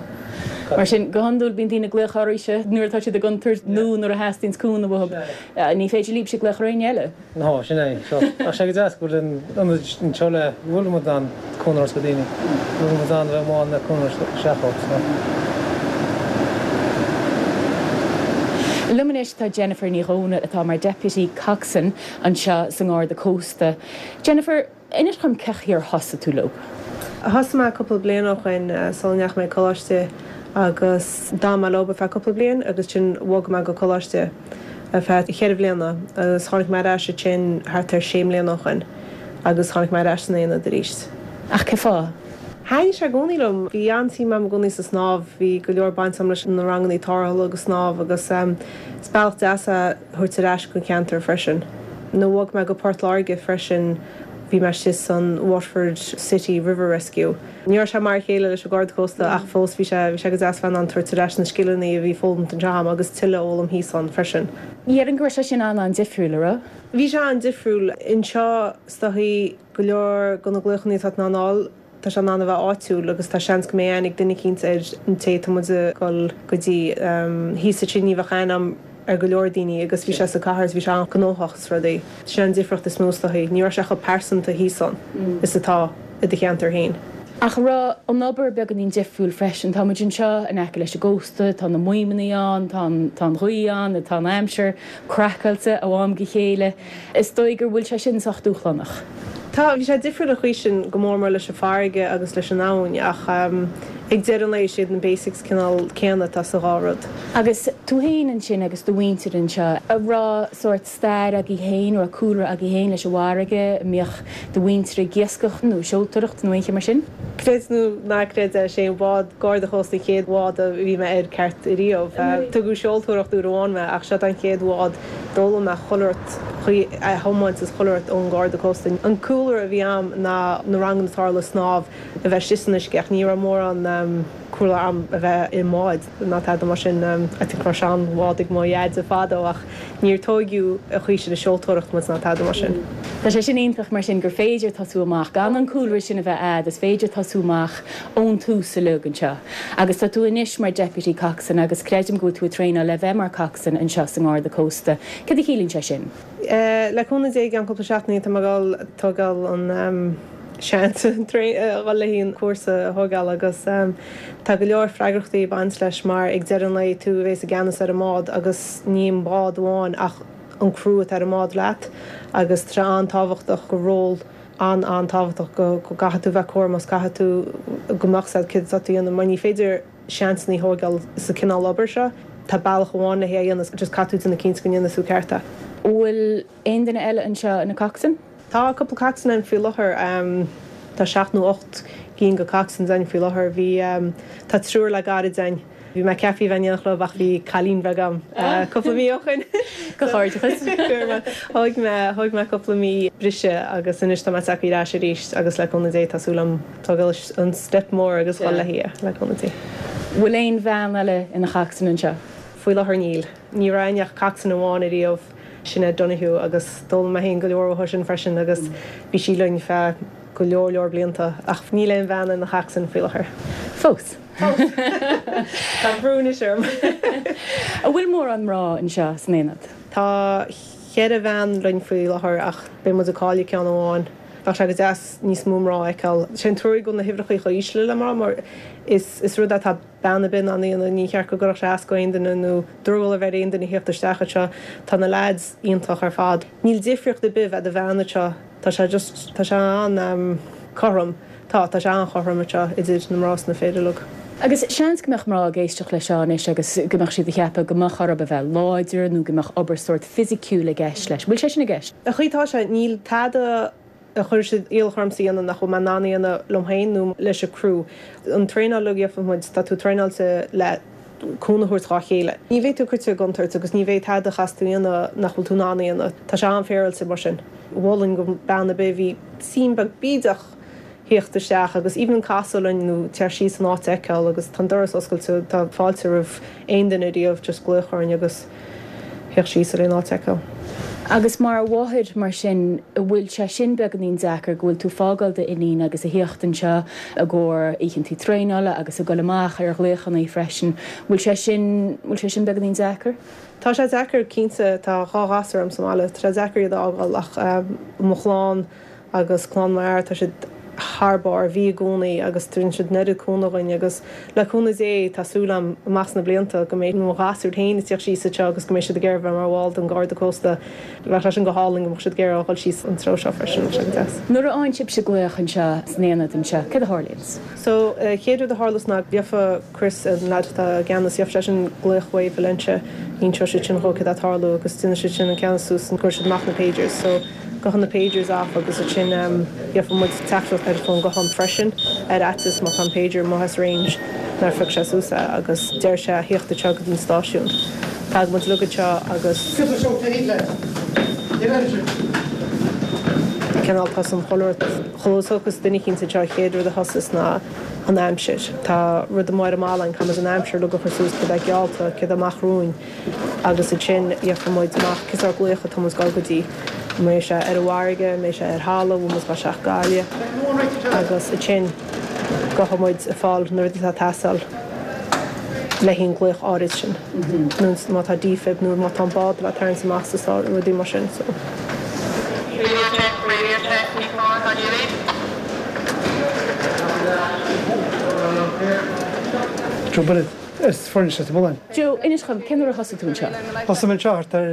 Mar sin, go hiondúil bíonn daoine ag glaoch oraibhse nuair atá siad i gcontúirt nó nuair a theastaíonns cúnamh uathu. Ní féidir libhse glaoch ar éinne eile. No, sin é. So, ach sé go deas go bhfuil an ionad anseo le go bhfuil muid in ann cúnamh a thabhairt do daoine. Go bhfuil muid in ann a bheith amuigh le cúnamh a thabhairt isteach dóibh so. Liom anois tá Jennifer Ní Dhomhnaill atá mar Deputy Coxswain anseo sa nGarda Cósta. Jennifer, inis dhom cén chaoi ar thosaigh tú leo? Thosaigh mé cúpla bliain ó shoin sula ndeachaigh mé ag coláiste agus d'fhan mé leo ar feadh cúpla bliain agus ansin bhog mé go coláiste ar feadh cheithre bhliana agus tháinig mé ar ais ansin thart ar sé mbliana ó shoin agus tháinig mé ar ais san aonad arís. Ach cén fáth? Thaitnigh sé i gcónaí liom. Bhí an-suim agam i gcónaí sa snámh. Bhí go leor baint agam leis na rangannaí tarrthála agus snámh agus is bealach deas é thabhairt ar ais don cheantar freisin. Nuair a bhog mé go Port Láirge freisin bhí mé istigh san Waterford City River Rescue. Ní raibh sé mar a chéile leis an Garda Cósta ach fós bhí sé bhí sé go deas bheith in ann tabhairt ar ais na scileanna a bhí foghlamtha anseo agam agus tuilleadh a fhoghlaim thíos ann freisin. Déarfainn go raibh sé sin an-an-difriúil, an raibh? Bhí sé an-difriúil. Anseo is dóichí Go leor de na glaochanna atá tú in ann a fháil, tá sé in ann a bheith áitiúil agus tá seans go mbeidh aithne ag duine eicínt ar an té atá muid ag dul go dtí. Thíos ansin ní bheadh aithne agam ar go leor daoine agus bhí sé sa cathair is bhí sé an-ghnóthach is rudaí. Sin an difríocht is mó is dóichí. Ní raibh sé chomh pearsanta thíos ann is atá i do cheantar féin. Ach an raibh an obair beagáinín difriúil freisin? Tá muid anseo in aice leis an gcósta, tá na maidhmeanna ann, tá an, tá an ghaoth ann, tá an aimsir craiceáilte ó am go chéile. Is dóigh gur bhfuil sé sin sách dúshlánach. Tá, bhí sé difriúil an chaoi sin, go mór mór leis an farraige agus leis an abhainn ach ag deireadh an lae is iad na basics cineál céanna atá sa dhá rud. Agus tú féin ansin agus do mhuintir anseo, an raibh sórt stair agaibh féin, an raibh cúlra agaibh féin leis an bhfarraige, an mbíodh do mhuintir ag iascach nó ag seoltóireacht nó aon cheo mar sin? Creid nó ná creid é, sé an bád Garda Chósta an chéad bhád a bhí mé air ceart ariamh. Tugadh seoltóireacht uair amháin mé ach seod an chéad bhád D'fhoghlaim mé chuile rud chaoi a thiomáint is chuile rud ón Gharda Cósta. An cúlra a bhí a'm ná na ranganna tarrthála snámh a bheith istigh san uisce ach ní raibh mórán cúlra a'm a bheith i mbád ná tada mar sin. I think raibh sean bhád ag mo dheaide fadó ach níor tóigeadh an chaoi sin ag seoltóireacht muid ná tada mar sin. Tá sé sin iontach mar sin gur féidir tosú amach gan an cúlra sin a bheith a'd, is féidir tosú amach ón tús uilig anseo. Agus tá tú anois mar Deputy Coxswain agus creidim go bhfuil tú ag traenáil le bheith mar Coxswain anseo sa nGarda Cósta. Céard a chiallaíonn sé sin? Le cúnamh Dé i gceann cúpla seachtainí tá mé ag dul tógáil an seans a dhul le an cúrsa a thógáil agus tá go leor freagrachtaí ag baint leis mar ag deireadh an lae tú a bhéas i gceannas ar an mbád agus ní an bád amháin ach an criú atá ar an mbád leat agus tá sé an-tábhachtach go ról an-an-tábhachtach go gcaithfidh tú bheith cúramach is caithfidh tú go mbeadh 's a'd céard atá tú a dhéanamh mar ní féidir seansanna a thógáil sa cineál obair seo. Tá bealach amháin le hé a dhéanamh is just caithfidh tú déanamh cinnte go ndéanfaidh tú ceart é. An bhfuil aon duine eile anseo ina coxswain? Tá cúpla coxswain ann faoi láthair. Tá seacht nó 8 gcinn de coxswains ann faoi láthair. Bhí, tá triúr le gairid ann. Bhí mé ceaptha a bheith in éineacht leo ach bhí cailín bheag a'm cúpla mí ó shoin. Comhghairdeachas. Thóg mé, thóg mé cúpla mí briseadh agus anois tá mé tagtha ar ais arís agus le cúnamh Dé tá súil a'm tógáil an step mór agus dhul léi, le cúnamh Dé. Bhfuil aon bhean eile ina choxswain anseo? Faoi láthair níl. Ní raibh a'inn ach coxswain amháin ariamh, Sinéad Donoghue, agus d'fhoghlaim mé féin go leor uaithi sin freisin agus bhí sí linn feadh go leor leor blianta ach níl aon bhean ina choxswain faoi láthair. Fós. Tá brú anois orm. An bhfuil mórán mná anseo san aonad? Tá cheithre bhean linn faoi láthair ach beidh muid ag cailleadh ceann amháin. Bheadh sé go deas níos mó mná a fheiceáil. Sé an trua go bhfuil na huimhreacha chomh íseal le mná mar is is rud é atá bean ar bith in ann a dhéanamh. Ní cheart go gcuirfeadh sé as go aon duine nó drogall a bheith ar aon duine theacht isteach anseo. Tá na leaids iontach ar fad. Níl difríocht ar bith bheith i do bhean anseo. Tá sé just, tá sé an-chothrom. Tá, tá sé an-chothrom anseo idir na mná is na fir uilig. Agus seans go mbeadh mná ag éisteacht leis seo anois agus go mbeadh siad ag ceapadh go mbeadh orthu a bheith láidir nó go mbeadh obair sórt fisiciúil i gceist leis. Bhfuil sé sin i gceist? An chaoi atá sé, níl tada a chuirfidh siad iallach ormsa a dhéanamh nach bhfuil mé in ann a dhéanamh liom féin nó leis an crew. An traenáil uilig a gheobhann muid, tá tú traenáilte le cúnamh a thabhairt dhá chéile. Ní bheidh tú cuite i gcontúirt agus ní bheidh tada a chaithfeas tú a dhéanamh nach bhfuil tú in ann a dhéanamh. Tá sé an-fhéaráilte mar sin. Mholfainn go bean ar bith a bhí suim beag bídeach theacht isteach agus even casadh linn nó teacht síos an áit a fheiceáil agus tá an doras oscailte, tá fáilte roimh aon duine ariamh just glaoch orainn agus theacht síos ar aon áit a fheiceáil. Agus mar mháthair mar sin, an bhfuil sé sin beagáinín deacair go bhfuil tú fágáil d'iníon agus a theacht anseo i gcomhair oícheantaí traenála agus ag dul amach ar ghlaochannaí freisin, bhfuil sé sin, bhfuil sé sin beagáinín deacair? Tá sé deacair cinnte, tá dhá ghasúr a'm sa mbaile, tá sé deacair iad a fhágáil ach mo chlann, agus clann mo fhear, tá siad thar barr, bhí i gcónaí agus tugann siad an oiread cúnamh dhuinn agus le cúnamh Dé tá súil a'm amach sna blianta go mbeidh mo ghasúir féin ag tíocht síos anseo agus go mbeidh siad ag iarraidh bheith mar bhall den Garda Cósta. Bheadh sé sin go hálainn go mbeadh siad ag iarraidh a dhul síos an treo seo freisin, bheadh sé go deas. Nuair a fhaigheann sibhse glaoch anseo san aonad anseo, céard a tharlaíonns? So, chéad rud a tharlas ná gheofa Chris, an leaid atá i gceannas, gheofa seisean glaoch uaidh Valentia, inseoidh siad sin dhó céard atá ag tarlú agus déanfaidh siad sin an ceannas suas and cuirfidh siad amach na pagers. So, gabhann na pagers off agus ansin gheofa muid teachtaireacht ar an fón guthán freisin ar fhaitíos má tá an pager amuigh as range nár phioc sé suas é agus deir sé a thíocht anseo go dtí an stáisiún. Tagann muid uilig anseo agus. Cineál tosaíonn chuile rud. Chuile thiocfas duine eicínt anseo an chéad rud a thosas ná an aimsir. Tá rud amuigh ar an mballa againn, caithfidh muid an aimsir uilig a chur suas, céard atá geallta, céard atá amach romhainn agus ansin gheofa muid amach cén sórt glaoch atá muid ag dul go dtí. An mbeidh sé ar an bhfarraige, an mbeidh sé ar thalamh, bhfuil muid ag dul isteach Gaillimh agus ansin gabhfaidh muid ag fáil na rudaí atá ag teastáil le haghaidh an glaoch áirid sin. Nó má tá defib nó má tá an bád le tarraingt amach sa sár, rudaí mar sin so. Radio check, radio check, P4, how do you read? Joe Bennett, as Foirnis Leitir Mealláin. Joe, inis dhom, cén uair a thosaigh tú anseo? Thosaigh mé anseo thart ar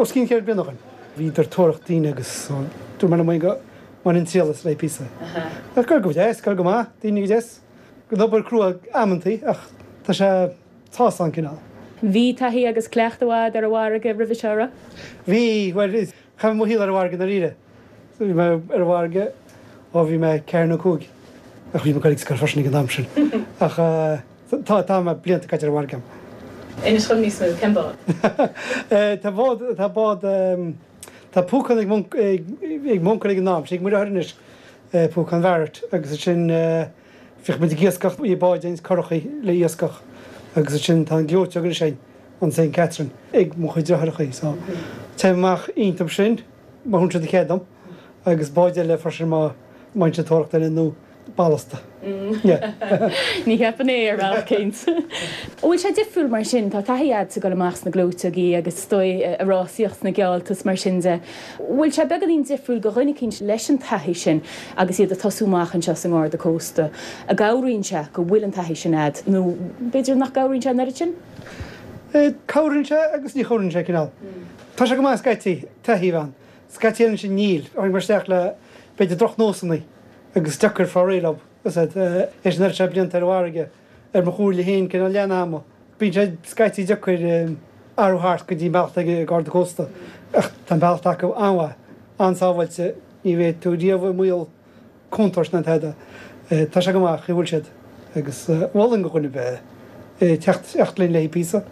os cionn cheithre bliana ó shin. Bhíodar ag tóraíocht daoine agus dúirt mé liom féin go mbainfinn triail as le píosa. Ach gur go deas, gur go maith, daoine go deas. An obair crua amantaí ach tá sé sásta an cineál. Bhí taithí agus cleachtadh a'd ar an bhfarraige roimhe seo, raibh? Bhí, bhuel, chaith mé mo shaol ar an bhfarraige ndáiríre. Bhí mé ar an bhfarraige ó bhí mé ceathair nó cúig, ach bhí mé ag dul ag scoil freisin ag an am sin. Ach tá, tá mé blianta caite ar an bhfarraige agam. Inis dhom níos mó, cén bád? Tá bád, tá bád, tá púcán ag ag m'uncail ag an am, sé ag mo dheartháir anois, púcán Bharrett agus ansin bhíodh muid ag iascach, bhí báid againn, curachaí le iascach agus ansin tá an ghleoiteog anois againn, an Saint Catherine, ag mo chuid deartháireachaí so téim amach iontu sin. Má thugann siad cead dom, agus báid eile freisin má bhíonn siad ag tóraíocht duine nó ballasta. Ní cheapfainn é ar bhealach éicint. An bhfuil sé difriúil mar sin? Tá taithí a'd ag dul amach sna gleoiteogaí agus is dóigh ag rásaíocht sna geallta is mar sin de. Bhfuil sé beagáinín difriúil do dhuine eicínt leis an taithí sin agus iad ag tosú amach anseo sa nGarda Cósta? An gcabhraíonn sé go bhfuil an taithí sin a'd nó b'fhéidir nach gcabhraíonn sé an oiread sin? Cabhraíonn sé agus ní chabhraíonn sé cineál. Tá sé go maith scaití, taithí a bheith ann. Scaití eile ansin níl. Tháinig mé isteach le, b'fhéidir, drochnósanna agus deacair fáil réidh leo. Is ea, théis an oiread seo blianta ar an bhfarraige, ar mo chomhairle féin, cineál leath an ama. Bíonn sé scaití deacair athrú thart go dtí an bealach atá ag an Garda Cósta. Ach tá an bealach atá acu an-mhaith, an-sábháilte, ní bheidh tú riamh i mbaol. contúirt ná tada. Tá sé go maith, chaoi a bhfuil siad agus mholfainn do dhuine ar bith teacht teacht linn le píosa.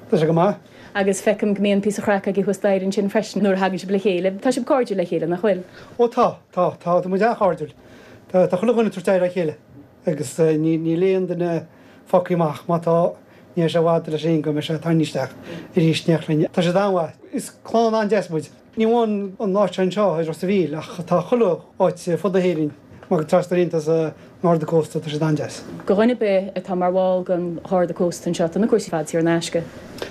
Tá sé go maith. Agus feicim go mbíonn píosa craic agaibh thuas staighre ansin freisin nuair a thagann sibh le chéile. Tá sibh cairdiúil le chéile, nach bhfuil? Ó tá, tá, tá, tá muid an-chairdiúil. Tá, tá chuile dhuine ag tabhairt aire dá chéile agus níl aon duine fágtha amach. Má tá, ní bheidh sé i bhfad leis féin go mbeidh sé tarraingthe isteach arís in éineacht linn. Tá siad an-mhaith. Is clann an-deas muid. Ní amháin an áit seo anseo i Ros a' Mhíl ach tá chuile áit ar fud na hÉireann mar go trasna rianta sa nGarda Cósta, tá siad an-deas. Do dhuine ar bith atá mar bhall den Gharda Cósta anseo, tá na cúrsaí ar fad saor in aisce.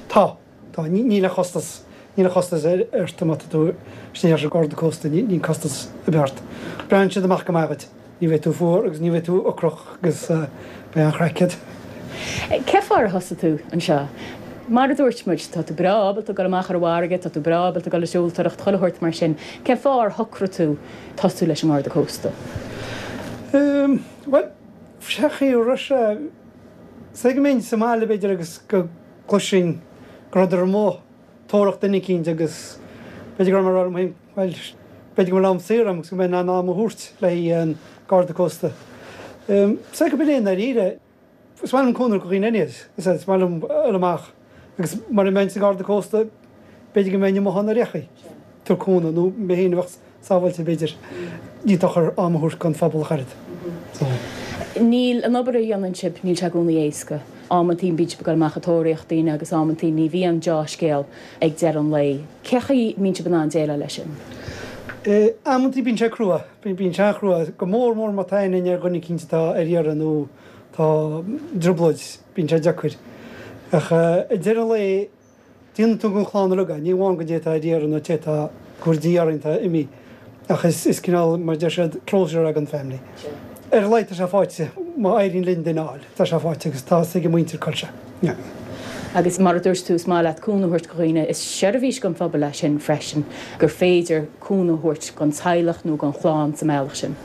Tá, tá. Níl aon chostas, níl aon chostas ort má tá tú istigh leis an Gharda Cósta, níl costas ar bith ort. Breathnaíonn siad amach go maith dhuit. Ní bheidh tú fuar agus ní bheidh tú ocrach agus beidh an-chraic agat. Cén fáth ar thosaigh tú anseo? Mar a dúirt muid, tá tú breá ábalta dul amach ar an bhfarraige, tá tú breá ábalta dul ag seoltóireacht, chuile shórt mar sin. Cén fáth ar shocraigh tú tosú leis an nGarda Cósta? Bhuel, sé chaoi a raibh sé, is é go mbeinn sa mbaile b'fhéidir agus go gcloisfinn go rabhadar amuigh tóraíocht duine eicínt agus b'fhéidir go raibh mé ag rá liom féin, bhuel, b'fhéidir go bhfuil am saor agam agus go mbeinn in ann am a thabhairt le haghaidh an Garda Cósta. Is é go b'in é i ndáiríre. Is maith liom cúnamh do dhaoine anyways, is maith liom dul amach agus mura mbeinn sa Gharda Cósta b'fhéidir go mbeinn amuigh ann ar aon chaoi, tabhairt cúnamh nó mé féin a bheadh sábháilte b'fhéidir. Ní dochar am a thabhairt don phobal ach oiread. So. Níl an obair a dhéanann sibh, níl sé i gcónaí éasca. Amantaí bíonn sibh ag dul amach ag tóraíocht daoine agus amantaí ní bhíonn deá-scéal ag deireadh an lae. Cé chaoi a mbíonn sibh in ann déileáil leis sin? Amantaí bíonn sé crua, bíonn sé an-chrua, go mór mór má tá aithne ar dhuine eicínt atá ar iarraidh nó tá i dtrioblóid, bíonn sé deacair. Ach ag deireadh an lae, Déanann tú don chlann uilig é, ní amháin don té atá ar iarraidh nó té atá go bhfuil de dhíth orainn atá imithe, ach is cineál, mar a deir siad, closure é don family. Ar a laghad tá sé faighte, má éiríonn linn duine a fháil, tá sé faighte agus tá fhios ag an muintir cá bhfuil sé. Yeah. Agus mar a dúirt tú, is maith leat cúnamh a thabhairt do dhaoine, is seirbhís don phobal é sin freisin, gur féidir cúnamh a thabhairt don teaghlach nó don chlann sa mbealach sin.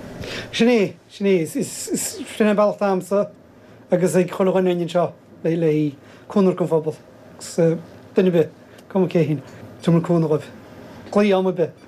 Sin é, sin é, is, is, sin é an bealach atá agamsa. agus ag chuile dhuine againn anseo le cúnamh don phobal agus duine ar bith, cuma cé hiad, tabharfaidh muid cúnamh dhóibh. Glaoigh am ar bith.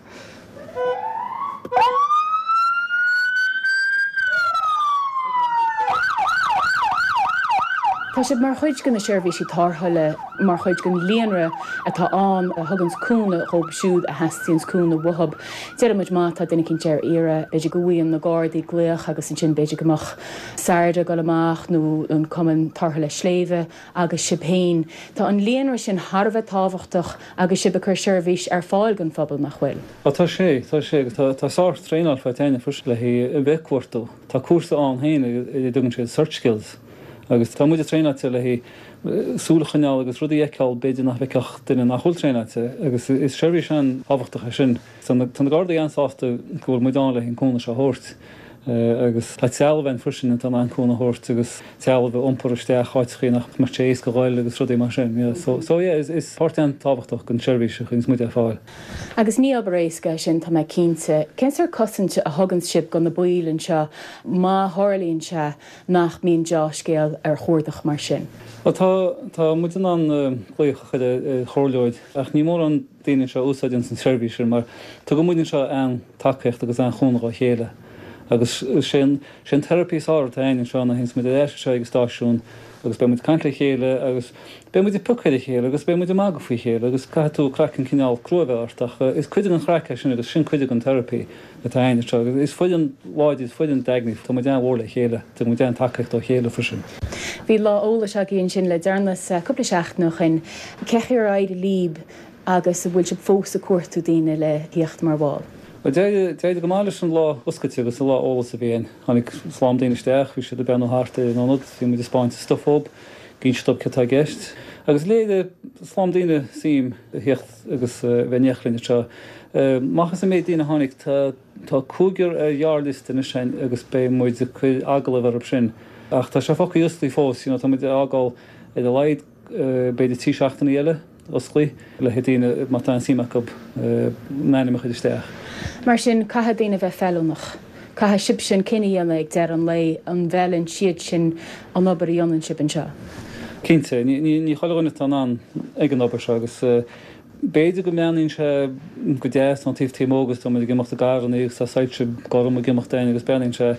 Tá sibh mar chuid de na seirbhísí tarrthála, mar chuid den líonra atá ann a thuganns cúnamh dhóibh siúd a theastaíonns cúnamh uathub. Deireann muid má tá duine eicínt ar iarraidh, b'fhéidir go bhfaigheann na Gardaí glaoch agus ansin b'fhéidir go mbeadh SARDA ag dul amach nó an Cumann Tarrthála Sléibhe agus sibh féin. Tá an líonra sin thar a bheith tábhachtach agus sibh ag cur seirbhís ar fáil don phobal, nach bhfuil? Á tá sé, tá sé agus tá tá sár-traenáil faighte againne freisin le haghaidh a bheith ag cuartú. Tá cúrsa ann féin a dtugann siad search skills agus tá muide traenáilte le haghaidh súil a choinneáil agus rudaí a fheiceáil b'fhéidir nach bhfeicfeadh duine nach bhfuil traenáilte agus is seirbhís an-tábhachtach é sin. Tá na Gardaí an-sásta go bhfuil muid ann le haghaidh an cúnamh seo a thabhairt. Agus tá trealamh ann freisin atá in ann cúnamh a thabhairt agus trealamh a iompar isteach áiteachaí nach mbeadh sé éasca a ghoil agus rudaí mar sin. Yeah. So, so yeah, is, is páirt an-tábhachtach den seirbhís a chuireanns muid ar fáil. Agus ní obair éasca é sin, tá mé cinnte. Cén sórt cosaint a thugann sibh do na baill anseo má tharlaíonn sé nach mbíonn deá-scéal ar chuardach mar sin? Bhuel, tá, tá muid in ann glaoch a chur ar chomhairleoir ach ní mórán daoine anseo a úsáideanns an tseirbhís sin mar tugann muid anseo an-tacaíocht agus an-chúnamh dhá chéile agus is é an, sé an therapy is fearr atá againn anseo ná théanns muid ar ais anseo ag an stáisiún agus beidh muid ag caint le chéile agus beidh muid ag piocadh ar a chéile agus beidh muid ag magadh faoi chéile agus caithfidh tú craiceann cineál crua a bheith ort ach is cuid den chraic é sin agus sin cuid den therapy atá againn anseo agus is foireann láidir, is foireann daingean, tá muid an-mhór le chéile, tugann muid an-tacaíocht dá chéile freisin. Bhí lá eolais agaibh ansin le deireanas, cúpla seachtain ó shin. Cén chaoi ar éirigh libh agus an bhfuil sibh fós ag cuartú daoine le thíocht mar bhall? Bhuel, d'éirigh go maith leis an lá oscailte agus an lá eolais a bhí againn. Tháinig slám daoine isteach, bhí siad ag breathnú thart ar an ionad, bhí muid ag spáint an stuif dhób, ag inse dóibh céard atá i gceist. Agus léirigh slám daoine suim a thíocht agus a bheith in éineacht linn anseo. Amach as an méid daoine a tháinig, tá tá cúigear ar ghearrliosta anois againn agus beidh muid ag cur agallamh orthu sin. Ach tá sé fágtha oscailte fós, you know, tá muid ag fhágáil ar a laghad b'fhéidir 3 seachtainí eile oscailte le haghaidh daoine má tá aon suim acu a n-ainm a chur isteach. Mar sin, caithfidh daoine a bheith feiliúnach. Caithfidh sibhse an cinneadh a dhéanamh ag deireadh an lae an bhfeileann siad sin an obair a dhéanann sibh anseo. Cinnte, ní chuile dhuine atá in ann ag an obair seo agus b'fhéidir go mbreathnaíonn sé go deas ón taobh taobh amuigh agus tá muid ag imeacht i gcarranna agus tá soilse gorm ag imeacht againn agus breathnaíonn sé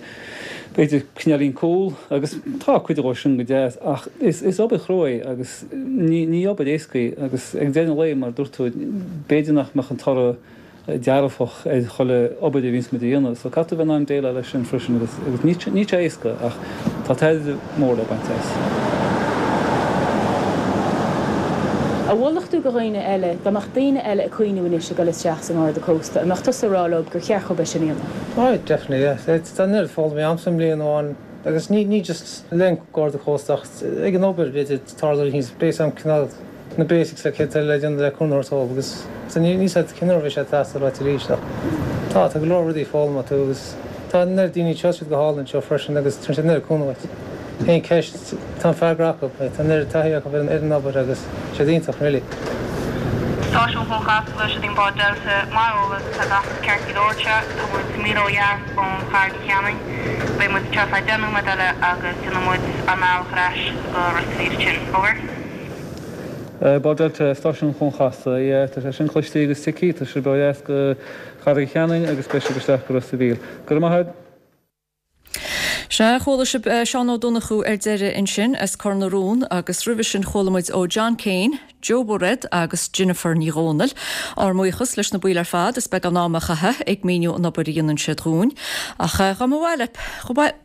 b'fhéidir cineáilín cool agus tá cuid dhó sin go deas ach is obair chrua é agus ní obair éasca í agus ag deireadh an lae mar a dúirt tú b'fhéidir nach mbeadh an toradh dearfach ar chuile obair a bhíonns muid a dhéanamh. So caithfidh tú bheith in ann déileáil leis sin freisin agus agus níl sé níl sé éasca ach tá tairbhe mór le baint as. An mholfadh tú do dhaoine eile, dá mbeadh daoine eile ag cuimhniú anois ag dul isteach sa nGarda Cósta, an mbeadh tusa ag rá leo gur cheart dhóibh é sin a dhéanamh? Oh definitely yeah. Tá an oiread foghlamtha a'msa i mbliain amháin agus ní ní just le an Garda Cósta ach ag an obair b'fhéidir tarlóidh rud éicint beidh a fhios a'm cineál na basics le céard le déanamh le cúnamh a thabhairt dóibh agus níl a fhios a'd cén uair a bheidh sé ag teastáil uait arís ach tá, tá go leor rudaí foghlamtha agat agus tá an oiread daoine anseo, siad go hálainn anseo freisin agus tugann siad an oiread cúnamh duit. Aon ceist, tá an freagra acu, tá an oiread taithí acu ar an obair agus siad iontach really. Stáisiún Chuan Chasla, Siod í an bád Delta, mar eolas, tá gach rud ceart go leor anseo, tá muid míle ó dheas ón Charraig Uí Cheanainn, beidh muid anseo feadh 10 nóiméad eile agus déanfaidh muid ár mbealach ar ais go Ros a' Mhíl ansin. Over. Bád Delta, Stáisiún Chuan Chasla, yeah, tá sé sin cloiste agus tuigthe, tá sibh ó dheas go Carraig Uí Cheanainn agus beidh sibh isteach go Ros a' Mhíl. Go raibh maith agat. Sea, chuala sibh Seán Ó Donnchú ar deireadh ansin as Cor na Rón agus roimhe sin chuala muid ó John Kane, Joe Bairéad agus Jennifer Ní Dhomhnaill. Ár mbuíochas leis na baill ar fad as beagán ama a chaitheamh ag míniú an obair a dhéanann siad dhúinn. Ach dá mba mhaith leat,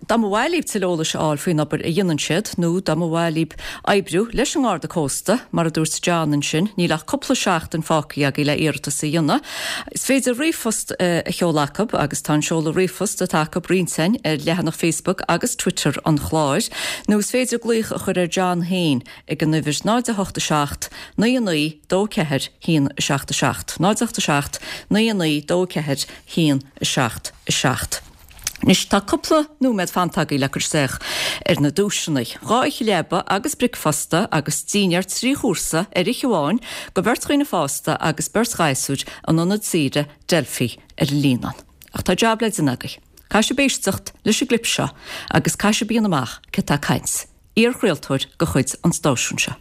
dá mba mhaith libh tuilleadh eolais a fháil faoin obair a dhéanann siad nó dá mba mhaith libh oibriú leis an nGarda Cósta, mar a dúirt John ansin, níl ach cúpla seachtain fágtha agaibh le iarratas a dhéanamh. Is féidir ríomhphost a sheoladh acu agus tá an seoladh ríomhphost atá acu roinnte againn ar leathanach Facebook agus Twitter an chláir, nó is féidir glaoch a chur ar John féin ag an uimhir 0 8 7 9 9 2 4 1 7 7, 0 8 7 9 9 2 4 1 7 7. Anois tá cúpla nóiméad fanta agaibh le cur isteach ar na duaiseanna. Dhá oíche leaba agus bricfeasta agus dinnéar 3 chúrsa ar oíche amháin go bheirt dhaoine fásta agus beirt ghasúr in ionad saoire Delphi ar an Líonán. Ach tá jab le déanamh agaibh. Caithfidh sibh éisteacht leis an gclip seo agus caithfidh sibh a dhéanamh amach cé atá ag caint. Iarchraoltóir de chuid an stáisiúin seo.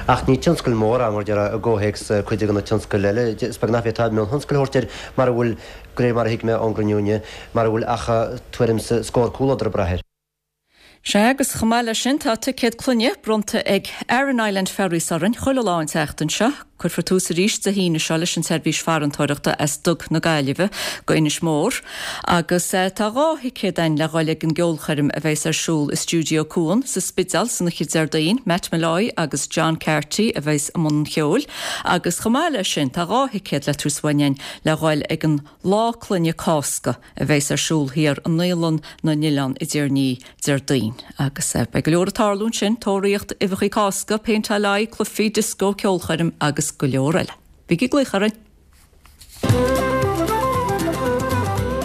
Ach ní tionscal mór é, mar a déarfá, i gcomhthéacs cuid de na tionscail eile. Is beag nach bhféadfá mionthionscal a thabhairt air mara bhfuil, de réir mar a thuig mé ón gcruinniú inniu, mara bhfuil ach tuairim 's scór comhluadar ag brath air. Sea, agus chomh maith leis sin, tá ticéad clainne bronnta ag Aran Island Ferries orainn chuile lá an tseachtain seo. Cuirfear tús arís Dé hAoine seo leis an tseirbhís farantóireachta as Duc na Gaillimhe go Inis Mór agus tá 2 thicéad againn le dhul ag an gceolchoirm a bheas ar siúl i Stiúideo Cuan sa Spidéal san oíche Déardaoin, Matt Molloy agus John Carty a bheas i mbun an cheoil agus chomh maith leis sin tá 2 thicéad le tabhairt uainn againn le dhul ag an Lá Clainne Cásca a bheas ar siúl thiar i nDaolann na nOileán i dTír an Fhia Déardaoin. Agus beidh go leor ag tarlú ansin, tóraíocht uibheacha Cásca, péinteáil aghaidhe, cluichí, dioscó, ceolchoirm agus go leor eile. Bígí ag glaoch orainn!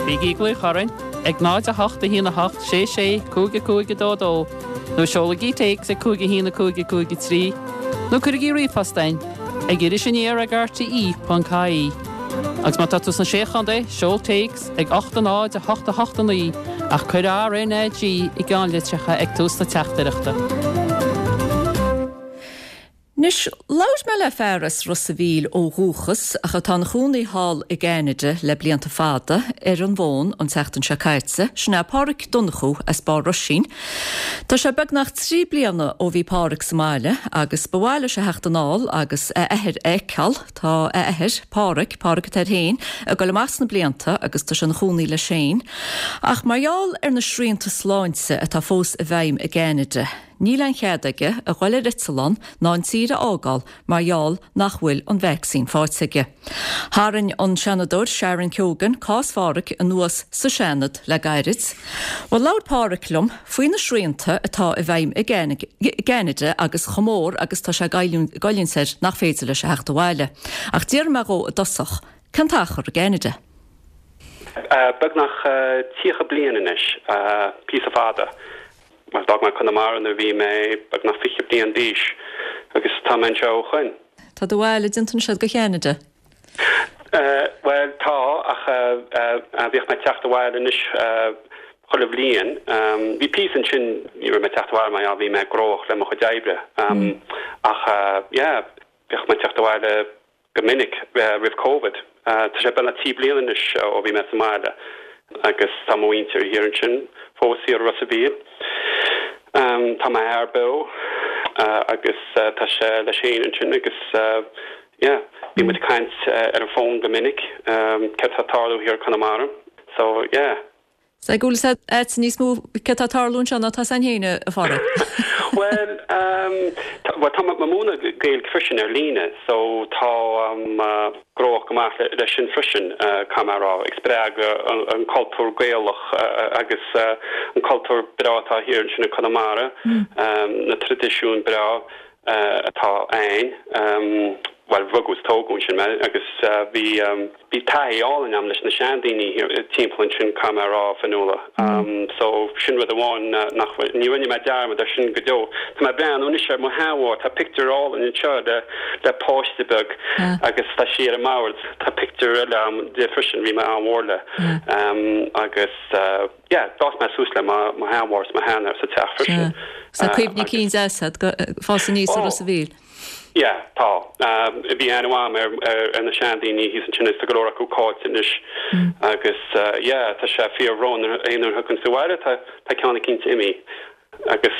Bígí ag glaoch orainn! ag 0 8 1 8 6 6 5 5 2 2 nó seolaigí téacs ag 5 1 5 5 3 nó cuirigí ríomhphost chugainn ag irisaniar ag rte.ie. Agus má tá tú sna Sé Chontae, seol téacs ag 8 0 8 8 9 ach cuir RnaG i gceannlitreacha ag tús na teachtaireachta. Anois, labhair mé le fear as Ros a' Mhíl ó dhúchas ach atá ina chónaí thall i gCeanada le blianta fada, ar an bhfón an tseachtain seo caite, sin é Páraic Donnchú as Barr Roisín. Tá sé beagnach 3 bliana ó bhí Páraic sa mbaile agus ba mhaith leis a theacht anall agus a athair a fheiceáil. Tá a athair, Páraic, Páraic atá air féin, ag dul amach sna blianta agus tá sé ina chónaí leis féin. Ach mar gheall ar na srianta sláinte atá fós i bhfeidhm i gCeanada, Níl aon chead aige a ghoil ar eitleán ná an tír a fhágáil mar gheall nach bhfuil an vacsaín faighte aige. Tharraing an Seanadóir Sharon Keoghan cás Pháraic anuas sa Seanad le gairid. Bhuel, labhair Páraic liom faoi na srianta atá i bhfeidhm i gCeanada agus chomh mór agus tá sé ag goilliúint air nach féidir leis a theacht abhaile. Ach d'fhiafraigh mé dhó i dtosach, cén t-achar i gCeanada? Beagnach 30 bliain anois, píosa fada. Bhuel, d'fhág mé Conamara nuair a bhí mé beagnach 20 bliain d'aois agus tá mé anseo ó shoin. Tá do bhaile déanta anois agat go Cheanada? Bhuel, tá, ach bhíodh mé ag teacht abhaile anois chuile bhliain. Bhí píosa ansin, ní raibh mé ag teacht abhaile mar bhí mé gnóthach le mo chuid oibre. Ach yeah, bhíodh mé ag teacht abhaile go minic roimh Covid. Tá sé beagnach 3 bliana anois ó bhí mé sa mbaile agus tá mo mhuintir thiar ansin fós thiar i Ros a' Mhíl. Tá m'athair beo agus tá sé leis féin ansin agus yeah, bíonn muid ag caint ar an bhfón go minic céard tá ag tarlú thiar i Conamara. So yeah. Sea, go bhfuil a fhios agat níos mó céard tá ag tarlú anseo ná tá a fhios againn féin, a Pháraic. Bhuel, bhuel, tá mé ag múineadh Gaeilge freisin ar líne, so táim gnóthach go maith leis sin freisin, caithfidh mé a rá, ag spreagadh an cultúr Gaelach agus an cultúr breá atá thiar ansin i Conamara, na traidisiúin breá. atá ann. Bhuel, rugadh is tógadh ansin mé agus bhí bhí taithí álainn agam leis na seandaoine timpeall ansin, caithfidh mé a rá, Fionnuala. So, sin rud amháin nach bhfuil, ní rinne mé dearmad ar sin go deo. Tá mé ag breathnú anois ar mo sheanmháthair, tá pictiúr álainn anseo le le páiste beag agus tá sí ar an mbord. Tá pictiúr eile agam di freisin, bhí mé an-mhór léi. Agus. Yeah, d'fhás mé suas le mo sheanmháthair is mo sheanathair sa teach freisin. Sea, cuimhní cinn deasa ag fás aníos i Ros a' Mhíl. Yeah, tá. Bhí aithne mhaith agam ar na seandaoine thíos ansin agus tá go leor acu caillte anois. Agus yeah, tá sé fíorbhrónach aon uair a thiocfainn abhaile tá ceann eicínt imithe. Agus.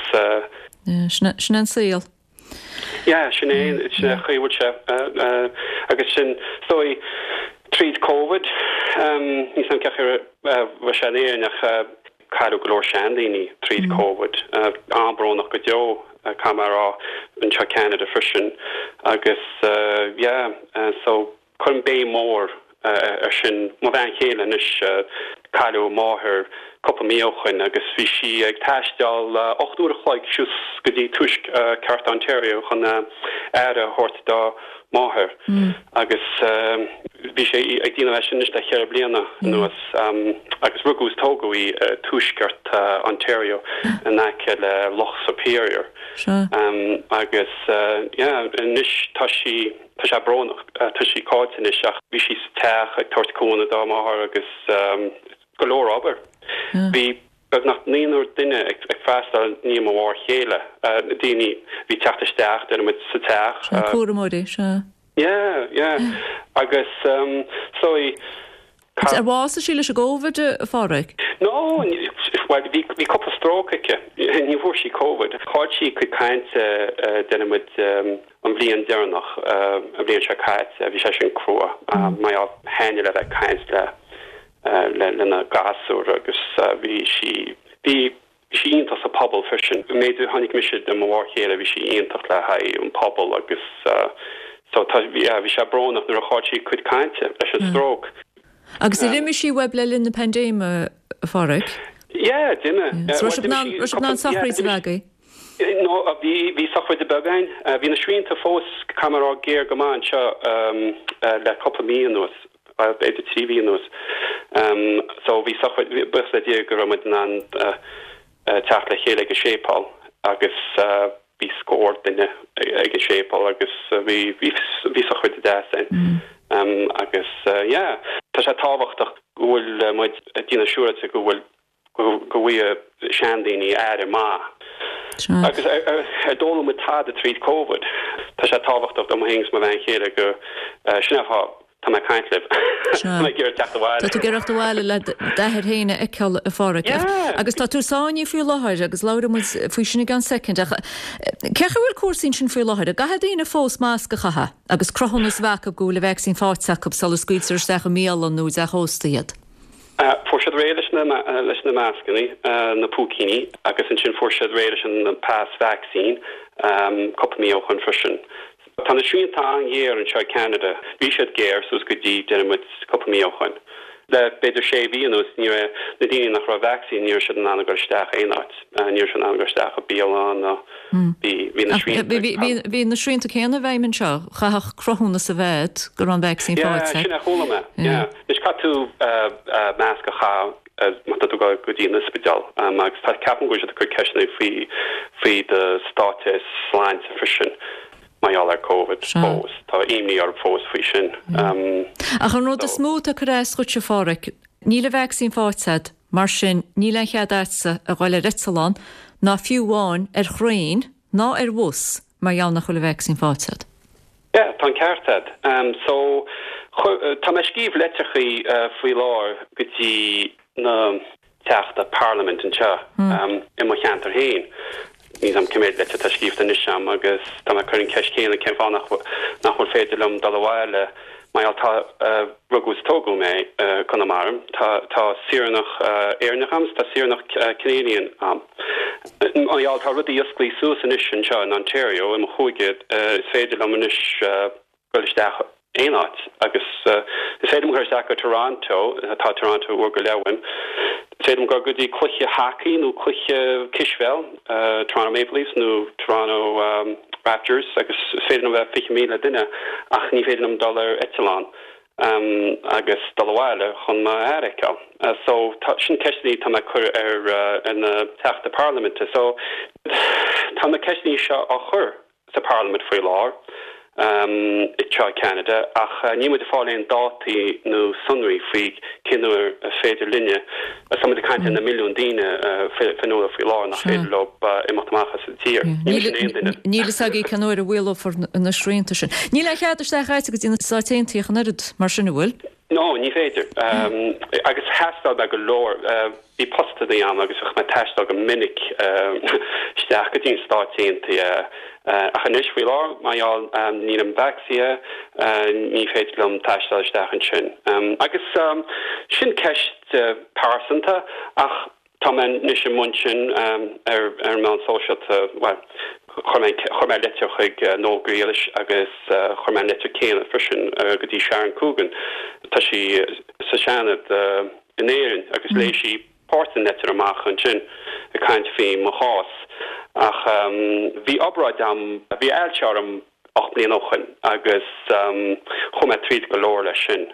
Yeah, sin é an saol. Yeah, sin é, sin é an chaoi a bhfuil sé. Agus sin, is dóigh, tríd Covid, níl 's agam cén chaoi a raibh sé in Éirinn ach cailleadh go leor seandaoine tríd Covid. An-bhrónach go deo, caithfidh mé a rá, anseo i Ceanada freisin. Agus yeah, so. Cuirim béim mhór ar sin. Mo bhean chéile anois, cailleadh a máthair cúpla mí ó shoin agus bhí sí ag taisteal 8 uair a chloig suas go dtí tuaisceart Ontario chun aire a thabhairt dá máthair agus bhí sí ag déanamh é sin anois le cheithre bliana anuas agus rugadh is tógadh í i tuaisceart Ontario in aice le Loch Superior agus yeah anois tá sí Tá sé brónach, tá sí caillte anois ach bhí sí sa teach ag tabhairt cúnamh dá máthair agus go leor obair. Bhí beagnach naonúr duine ag freastal i ndiaidh mo mháthair chéile, daoine a bhí ag teacht isteach, déarfaidh muid, sa teach. Sea, cúramóirí, sea. Yeah, yeah. Agus so Ar bhásaigh sí leis an gCóivid, a Pháraic? No, bhuel, bhí, bhí cúpla stróc aici. Ní bhfuair sí Covid. Chaill sí a cuid cainte, déarfaidh muid, an bhliain deireanach, an bhliain seo caite. Bhí sé sin crua. Mar gheall, thaitnigh léi bheith ag caint le, le, lena gasúir agus bhí sí, bhí, Bhí sí iontach sa pobal freisin. An méid a chonaic mise de mo mháthair chéile bhí sí iontach le haghaidh an pobal agus so tá yeah bhí sé brónach nuair a chaill sí a cuid cainte leis an stróc. Agus ar imigh sí uaibh le linn na paindéime, a Pháraic? Yeah, d'imigh. So raibh sibh in ann raibh sibh in ann sochraid a bheith agaibh? No, bhí bhí sochraid beag againn. Bhí na srianta fós, caithfidh mé a rá, géar go maith anseo le cúpla mí anuas. b'fhéidir 3 mhí anuas. So bhí sochraid, buíochas le Dia go raibh muid in ann teacht le chéile ag an séipéal agus bhí scór duine ag an séipéal agus bhí bhí sochraid deas ann. Agus yeah, tá sé tábhachtach go bhfuil muid ag déanamh siúráilte go bhfuil go bhfaighidh seandaoine aire maith. Agus ar d'fhoghlaim muid tada tríd Covid? Tá sé tábhachtach dom féin agus mo bhean chéile go, sin é an fáth tá mé ag caint libh. Tá mé ag iarraidh teacht abhaile. Tá tú ag iarraidh teacht abhaile le d'athair féin a fheiceáil, a Pháraic. Agus tá tú sáinnithe faoi láthair agus labhróidh muid faoi sin i gceann soicind. Ach cén chaoi a bhfuil cúrsaí ansin faoi láthair? An gcaithfidh daoine fós masc a chaitheamh agus cruthúnas a bheith acu go bhfuil an vacsaín faighte acu sula scaoiltear isteach i mbialann nó i dteach ósta iad? Fuair siad réidh leis na leis na mascanna, na púicíní, agus ansin fuair siad réidh leis an pas vacsaín cúpla mí ó shoin freisin. Tá na srianta an-ghéar anseo i Ceanada. Bhí siad géar suas go dtí, déarfaidh muid, cúpla mí ó shoin. Le b'fhéidir sé mhí anuas, ní raibh na daoine nach raibh vacsaínithe, ní raibh siad in ann a dhul isteach aon áit. Ní raibh siad in ann a dhul isteach i bialann ná bhí bhí na srianta. Bhí na srianta céanna i bhfeidhm anseo. Chaithfeadh cruthúnas a bheith agat go raibh an vacsaín faighte. Yeah, sin a chuala mé. Yeah. Anois caithfidh tú masc a chaitheamh má tá tú ag dul go dtí an ospidéal agus tá, ceapaim go bhfuil siad ag cur ceisteanna faoi faoi do stáitse sláinte freisin mar gheall ar Covid fós. Tá imní orm fós faoi sin. Ach an rud is mó atá ag cur as dhuit, a Pháraic, níl an vacsaín faighte agat, mar sin níl aon chead agatsa a dhul ar eitleán ná fiú amháin ar thraein ná ar bhus mar gheall nach bhfuil an vacsaín faighte agat. Yeah, tá an ceart agat. So, tá mé ag scríobh litreachaí faoi láthair go dtí na teachta parlaimint anseo i mo cheantar féin. Níl 's a'm cé mhéad litir atá scríofa anois a'm agus tá mé ag cur an ceist chéanna cén fáth nach nach bhfuil féidir liom dul abhaile mar gheall tá rugadh is tógadh mé i Conamara, tá tá saoranach Éireannach a'm is tá saoranach Canadian a'm. Mar gheall tá rudaí osclaithe suas anois anseo in Ontario, i mo chúige, is féidir liom anois dul isteach aon áit agus is féidir liom dul isteach go Toronto, tá Toronto uair go leith uaim, is féidir liom dul go dtí cluiche hacaí nó cluiche cispheil, Toronto Maple Leafs nó Toronto Raptors agus is féidir liom bheith 20,000 duine ach ní féidir liom dul ar eitleán. agus dul abhaile chun m'athair a fheiceáil. So, tá, sin ceisteanna atá mé ag cur ar na Teachta Parlaiminte. So, tá na ceisteanna seo á chur sa Parlaimint faoi láthair anseo i Ceanada ach níl muid ag fáil aon dátaí nó sonraí faoi cén uair is féidir linne, tá muid ag caint ar na milliúin daoine fionnuala faoi láthair nach féidir leo imeacht amach as an tír. Ní mise aon duine. Níl fhios againn cén uair a mhaolófar na srianta sin. Níl aon chead isteach agat go dtí na Stáit Aontaithe ach an oiread, mar sin, an bhfuil? No, ní féidir. Agus thaistil mé go leor. Bhí postannaí a'm agus bhíodh mé ag taisteal go minic isteach go dtí na Stáit Aontaithe. Ach anois, faoi láthair, mar gheall nílim vacsaíthe, ní féidir liom taisteal isteach ansin. Agus sin ceist pearsanta ach Tá mé anois i mbun sin ar an meán sóisialta, bhuel, chuir mé, chuir mé litir chuig Noel Grealish agus chuir mé an litir céanna freisin go dtí Sharon Coogan, tá sí sa Seanad in Éirinn agus léigh sí páirt den litir amach ansin ag caint faoi mo chás. Ach bhí obráid a'm, bhí ailse orm 8 mbliana ó shoin agus chuaigh mé tríd go leor leis sin.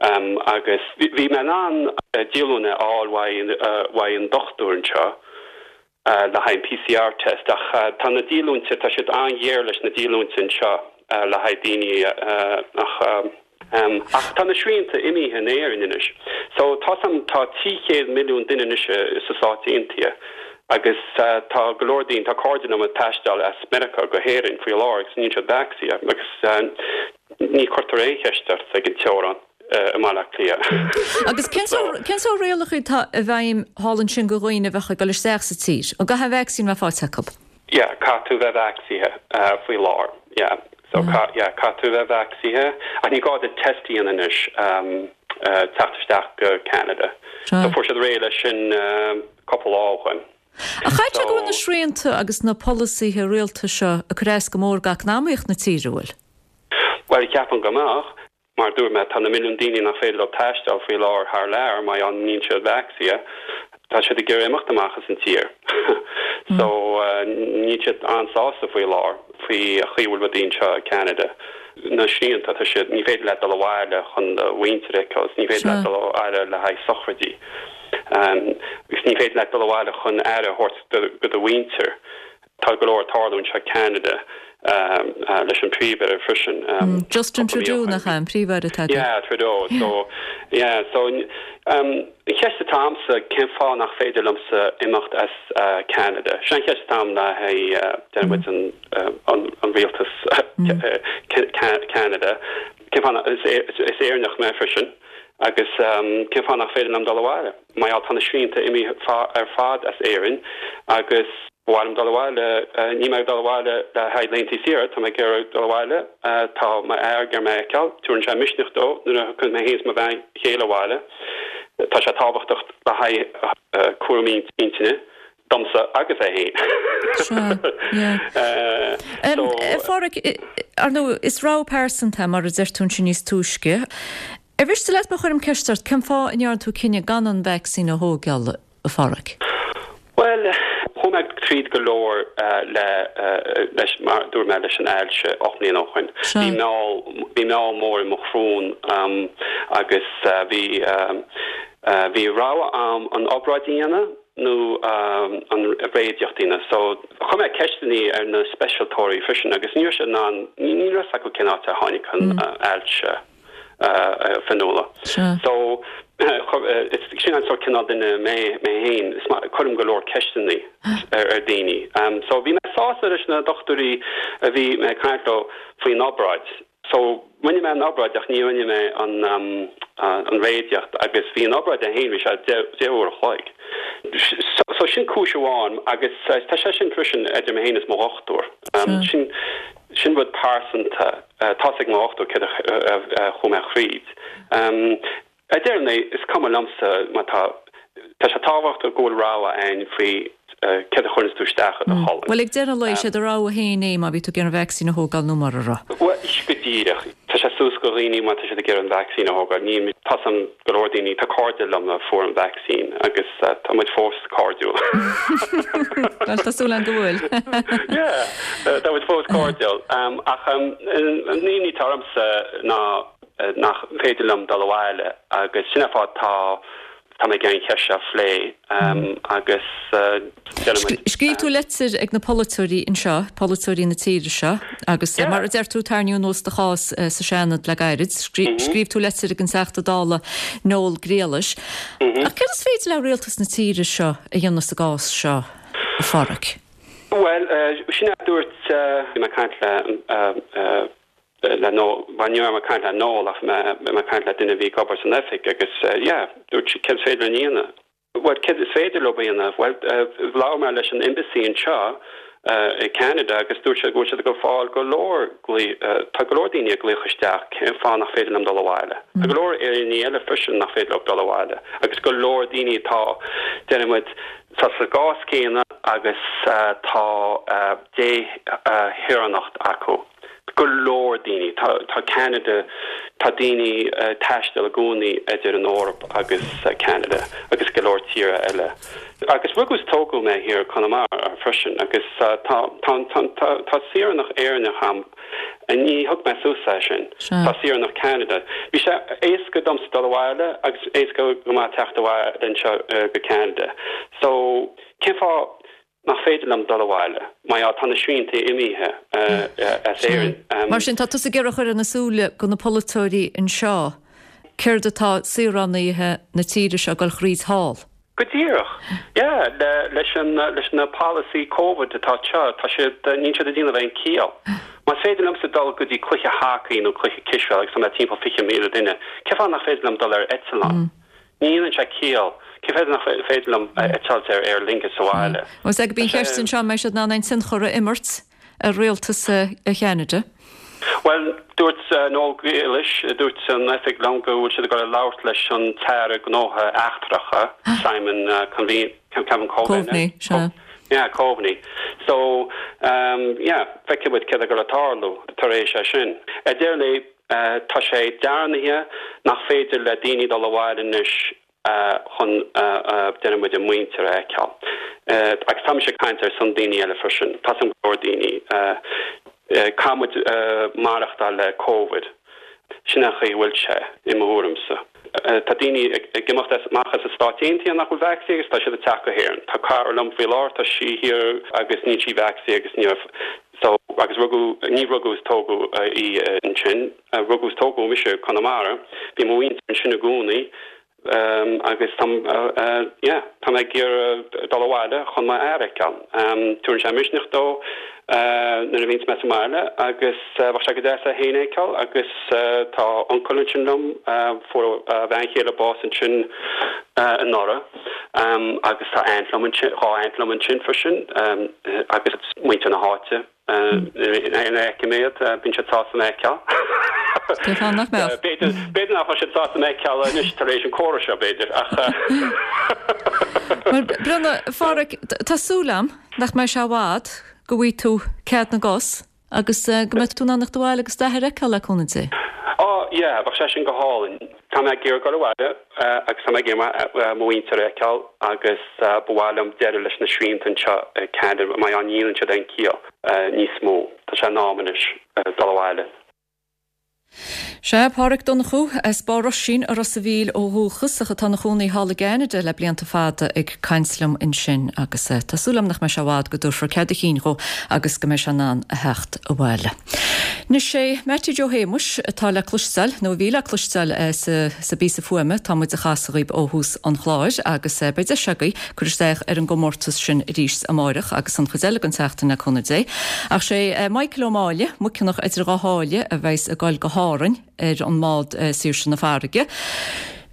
Agus bhí mé in ann díolúine a fháil uaidh an dochtúir anseo le haghaidh an PCR test ach tá na díolúinte, tá siad an-ghéar leis na díolúinte anseo le haghaidh daoine ach ach tá na srianta imithe in Éirinn anois. So tá some, tá 300 milliún duine anois sa Stáit Aontaithe agus tá go leor daoine, tá cairde liom ag taisteal as Meiriceá go hÉirinn faoi láthair agus níl siad vacsaíthe agus Ní chuirtear aon cheist ort ag an teorainn i mBaile Átha Cliath. Agus cén sórt rialacha atá i bhfeidhm thall ansin do dhaoine a bheadh ag dul isteach sa tír? An gcaithfidh an vacsaín a bheith faighte acu? Yeah, caithfidh tú bheith vacsaíthe faoi láthair. Yeah. So, yeah, caithfidh tú bheith vacsaíthe. Ach ní gá duit test a dhéanamh anois teacht isteach go Ceanada. So fuair siad réidh leis sin cúpla lá ó shoin. Ach caithfidh sé go bhfuil na srianta agus na polasaithe rialtais seo ag cur as go mór d'eacnamaíocht na tíre, an bhfuil? Bhuel, ceapaim go mbeadh. Mar a dúirt mé, tá na milliúin daoine nach féidir leo taisteal faoi láthair thar lear mar gheall níl siad vacsaíthe. Tá siad ag iarraidh imeacht amach as an tír. So, níl siad an-sásta faoi láthair faoi chaoi a bhfuil rudaí anseo i Ceanada. na srianta, tá siad, ní féidir leat dul abhaile chun do mhuintir a fheiceáil, ní féidir leat dul abhaile le haghaidh sochraidí, agus ní féidir leat dul abhaile chun aire a thabhairt do do mhuintir. Tá go leor ag tarlú anseo i Ceanada leis an Príomh-Aire freisin. Justin Trudeau, nach ea, an Príomh-Aire atá againn? Yeah, Trudeau. So, yeah, so an cheist atá a'msa, cén fáth nach féidir liomsa imeacht as Ceanada? Sin an cheist atá a'm le haghaidh, déarfaidh muid, an rialtas Ceanada. Cén fáth, is Éireannach mé freisin, agus cén fáth nach féidir liom dul abhaile? Mar gheall tá na srianta imithe ar fad as Éirinn agus ba mhaith liom dul abhaile. Níl mé ag dul abhaile le haghaidh laethanta saoire, tá mé ag iarraidh dul abhaile. Tá m'fhear ag iarraidh mé a fheiceáil. Tabharann sé misneach dó nuair a thiocfaidh mé féin is mo bhean chéile abhaile. Tá sé tábhachtach le haghaidh cúraimí intinne domsa agus é féin. Sea, yeah. So. A Pháraic, ar ndóigh, is rogha pearsanta é, mar a deir tú ansin níos túisce. Ar mhiste leat má chuirim ceist ort, cén fáth a ndearna tú cinneadh gan an vacsaín a thógáil, a Pháraic? Bhuel, chuaigh mé tríd go leor le, leis, mar a dúirt mé, leis an ailse 8 mbliana ó shoin. Bhí meall, bhí meall mór i mo shrón agus bhí, bhí rogha a'm an obráid a dhéanamh nó an réadíocht a dhéanamh. So, chuir mé ceisteannaí ar na speisialtóirí freisin agus ní raibh siad in ann, ní raibh 'fhios acu cén áit ar tháinig an ailse. a Fionnuala. So, sin an sórt cineál duine mé mé féin, is maith, cuirim go leor ceisteanna ar daoine. So, bhí mé sásta leis na dochtúirí a bhí mé ag caint leo faoin obráid. So, rinne mé an obráid ach ní rinne mé an an réadíocht agus bhí an obráid é féin, bhí sé 10 uair a chloig. So, sin cúis amháin agus tá sé sin freisin idir mé féin is mo dhochtúir. Sin sin rud pearsanta. Tá's ag mo dhochtúir céard a chuaigh mé thríd. Ar deireadh an lae, is cuma liomsa má tá, tá sé tábhachtach go bhfuil rogha ann faoi céard a chuireanns tú isteach i do cholainn. Bhuel, ag deireadh an lae, sé do rogha féin é má bhí tú ag iarraidh an vacsaín a thógáil nó mura raibh. Bhuel, go díreach. Tá sé suas go dhaoine má tá siad ag iarraidh an vacsaín a thógáil. Ní, tá's a'm go leor daoine, tá cairde liom a fuair an vacsaín agus tá muid fós cairdiúil. Bhuel, tá súil agam go bhfuil. Yeah, tá muid fós cairdiúil. Ach an imní atá ormsa ná nach féidir liom dul abhaile agus sin an fáth tá Tá mé ag iarraidh an cheist seo a phlé agus déanfaidh muid. Scríobh tú leitir ag na polaiteoirí anseo, polaiteoirí na tíre seo, agus mar a deir tú, tarraingíodh anuas do chás sa Seanad le gairid. Scríobh tú leitir ag an Teachta Dála Noel Grealish. Ach céard is féidir le rialtas na tíre seo a dhéanamh sa gcás seo, a Pháraic? Bhuel, sin é a dúirt, bhí mé ag caint le le Noel, bhuel ní raibh mé ag caint le Noel ach bhí mé ag caint le duine a bhí ag obair san oifig agus yeah, dúirt sí céard is féidir linn a dhéanamh? Bhuel, céard is féidir leo a dhéanamh? Bhuel, labhair mé leis an embassy anseo i Canada agus dúirt siad go bhfuil siad ag fáil go leor glaoch, tá go leor daoine ag glaoch isteach cén fáth nach féidir liom dul abhaile? Tá go leor Éireannaigh eile freisin nach féidir leo dul abhaile agus go leor daoine atá, déarfaidh muid, tá sa gcás céanna agus tá déshaoránacht acu. Go leor daoine. Tá, tá Ceanada, tá daoine ag taisteal i gcónaí idir an Eoraip agus Ceanada agus go leor tíortha eile. Agus rugadh is tógadh mé thiar i Conamara freisin agus tá, tá, tá, tá, tá saoránacht Éireannach a'm. Ní thug mé suas é sin. Tá saoránacht Ceanada. Bhí sé éasca domsa dul abhaile agus éasca go maith teacht abhaile anseo go Ceanada. So, cén fáth nach féidir liom dul abhaile mar gheall tá na srianta imithe as Éirinn. Mar sin, tá tusa ag iarraidh a chur ina súile go na polaiteoirí anseo céard atá saoránaithe na tíre seo ag dul thríd thall. Go díreach. Yeah, leis an, leis na polasaí Covid atá anseo, tá siad, níl siad ag déanamh aon ciall. Más féidir liomsa dul go dtí cluiche hacaí nó cluiche cispheile agus tá mé timpeall 20,000 duine, cén fáth nach féidir liom dul ar eitleán? Ní dhéanann sé ciall. Cén fáth nach féidir liom eitilt ar Aer Lingus abhaile? Bhuel, is é gurb í an cheist anseo an mbeidh siad in ann aon tionchar a imirt ar rialtas Cheanada? Bhuel, dúirt Noel Grealish, dúirt an oifig liom go bhfuil siad ag dul a labhairt leis an tAire Gnóthaí Eachtracha, Simon Coveney, Coveney, sea. Yeah, Coveney. So, yeah, feicfidh muid céard atá ag dul a tarlú tar éis é sin. Ar deireadh an lae, Tá sé dearnaithe nach féidir le daoine dul abhaile anois chun, déarfaidh muid, a muintir a fheiceáil. Agus tá mise ag caint ar son daoine eile freisin. Tá's agam go leor daoine. Caithfidh muid maireachtáil le Covid. Sin an chaoi a bhfuil sé, i mo thuairimse. Tá daoine ag imeacht amach as na Stáit Aontaithe nach bhfuil vacsaínithe agus tá siad ag teacht go hÉirinn. Tá cara liom faoi láthair, tá sí thiar agus níl sí vacsaínithe agus ní raibh so agus rugadh, ní rugadh is tógadh í ansin, rugadh is tógadh mise i Conamara. Bhí mo mhuintir ansin i gcónaí. Agus tá, yeah, tá mé ag iarraidh dul abhaile chun m'athair a fheiceáil. Tabharann sé misneach domh nuair a bhíonns mé sa mbaile agus bheadh sé go deas é féin a fheiceáil agus tá uncail ansin liom, fuair a bhean chéile bás ansin anuraidh agus tá aunt liom ansin, 2 aunt liom ansin freisin agus muintir na háite. Nuair a fheicim iad, bíonn siad sásta mé a fheiceáil. Cén fáth nach mbeadh? B'fhéidir, b'fhéidir nach bhfuil siad sásta mé a fheiceáil anois tar éis an comhrá seo, b'fhéidir, ach. Bhuel, Brenda, a Pháraic, tá súil a'm nach mbeidh sé i bhfad go bhfaighidh tú cead na gcos agus go mbeidh tú in ann a theacht abhaile agus d'athair a fheiceáil le cúnamh Dé. Á, yeah, bheadh sé sin go hálainn. Tá mé ag iarraidh dul abhaile agus tá mé ag iarraidh mo mhuintir a fheiceáil agus ba mhaith liom deireadh leis na srianta anseo i gCeanada mar ní dhéanann siad aon chiall níos mó. Tá sé in am anois dul abhaile. Sea, Páraic Donnchú, as Barr Oisín i Ros a' Mhíl ó dhúchas ach atá ina chónaí thall i gCeanada le blianta fada ag caint liom ansin agus tá súil agam nach mbeidh sé i bhfad go dtabharfar cead a chinn dhó agus go mbeidh sé in ann a theacht abhaile. Anois sé Mattie Joe Shéamuis atá le cloisteáil, nó a bhí le cloisteáil, sa bpíosa fuaime atá muid a chasadh dhaoib ó thús an chláir agus beidh deis agaibh cur isteach ar an gcomórtas sin arís amáireach agus an chuid eile den tseachtain le cúnamh Dé. Ach sé Michael Ó Máille, Muiceanach idir dhá sháile a bheas ag goil go hÁrainn ar an mbád Saoirse na Farraige.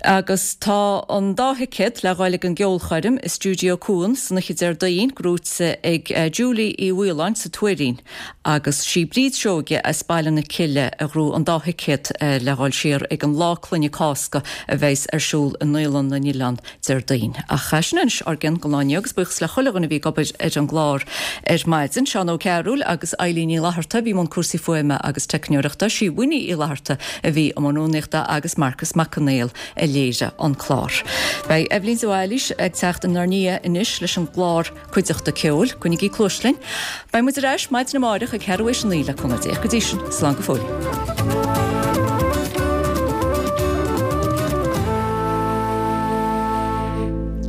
Agus tá an dá thicéad le ghoil ag an gceolchoirm i Stiúideo Cuan san oíche Déardaoin gnóite ag Julie Uí Mhaoláin sa Tuairín agus sí Bríd Seoige as Baile na Cille a ghnóthaigh an dá thicéad le dhul siar ag an Lá Clainne Cásca a bheas ar siúl i nDaolann na nOileán Déardaoin. Ach sin anois ár gcion don lá inniu agus buíochas le chuile dhuine a bhí ag obair ar an gclár ar maidin, Seán Ó Cearúil agus Eilín Ní Fhlatharta a bhí i mbun cúrsaí fuaime agus teicneoireachta, sí Winnie Uí Fhlatharta a bhí i mbun rúnaíochta agus Marcus Mac Conghail a léirigh an clár. Beidh Eibhlín de Bhailís ag teacht inár ndiaidh anois leis an gclár Cuideachta Ceoil. Coinnigí cluais linn. Beidh muid ar ais maidin amáireach ag ceathrú théis a 9 le cúnamh Dé. Go dtí sin, slán go fóill.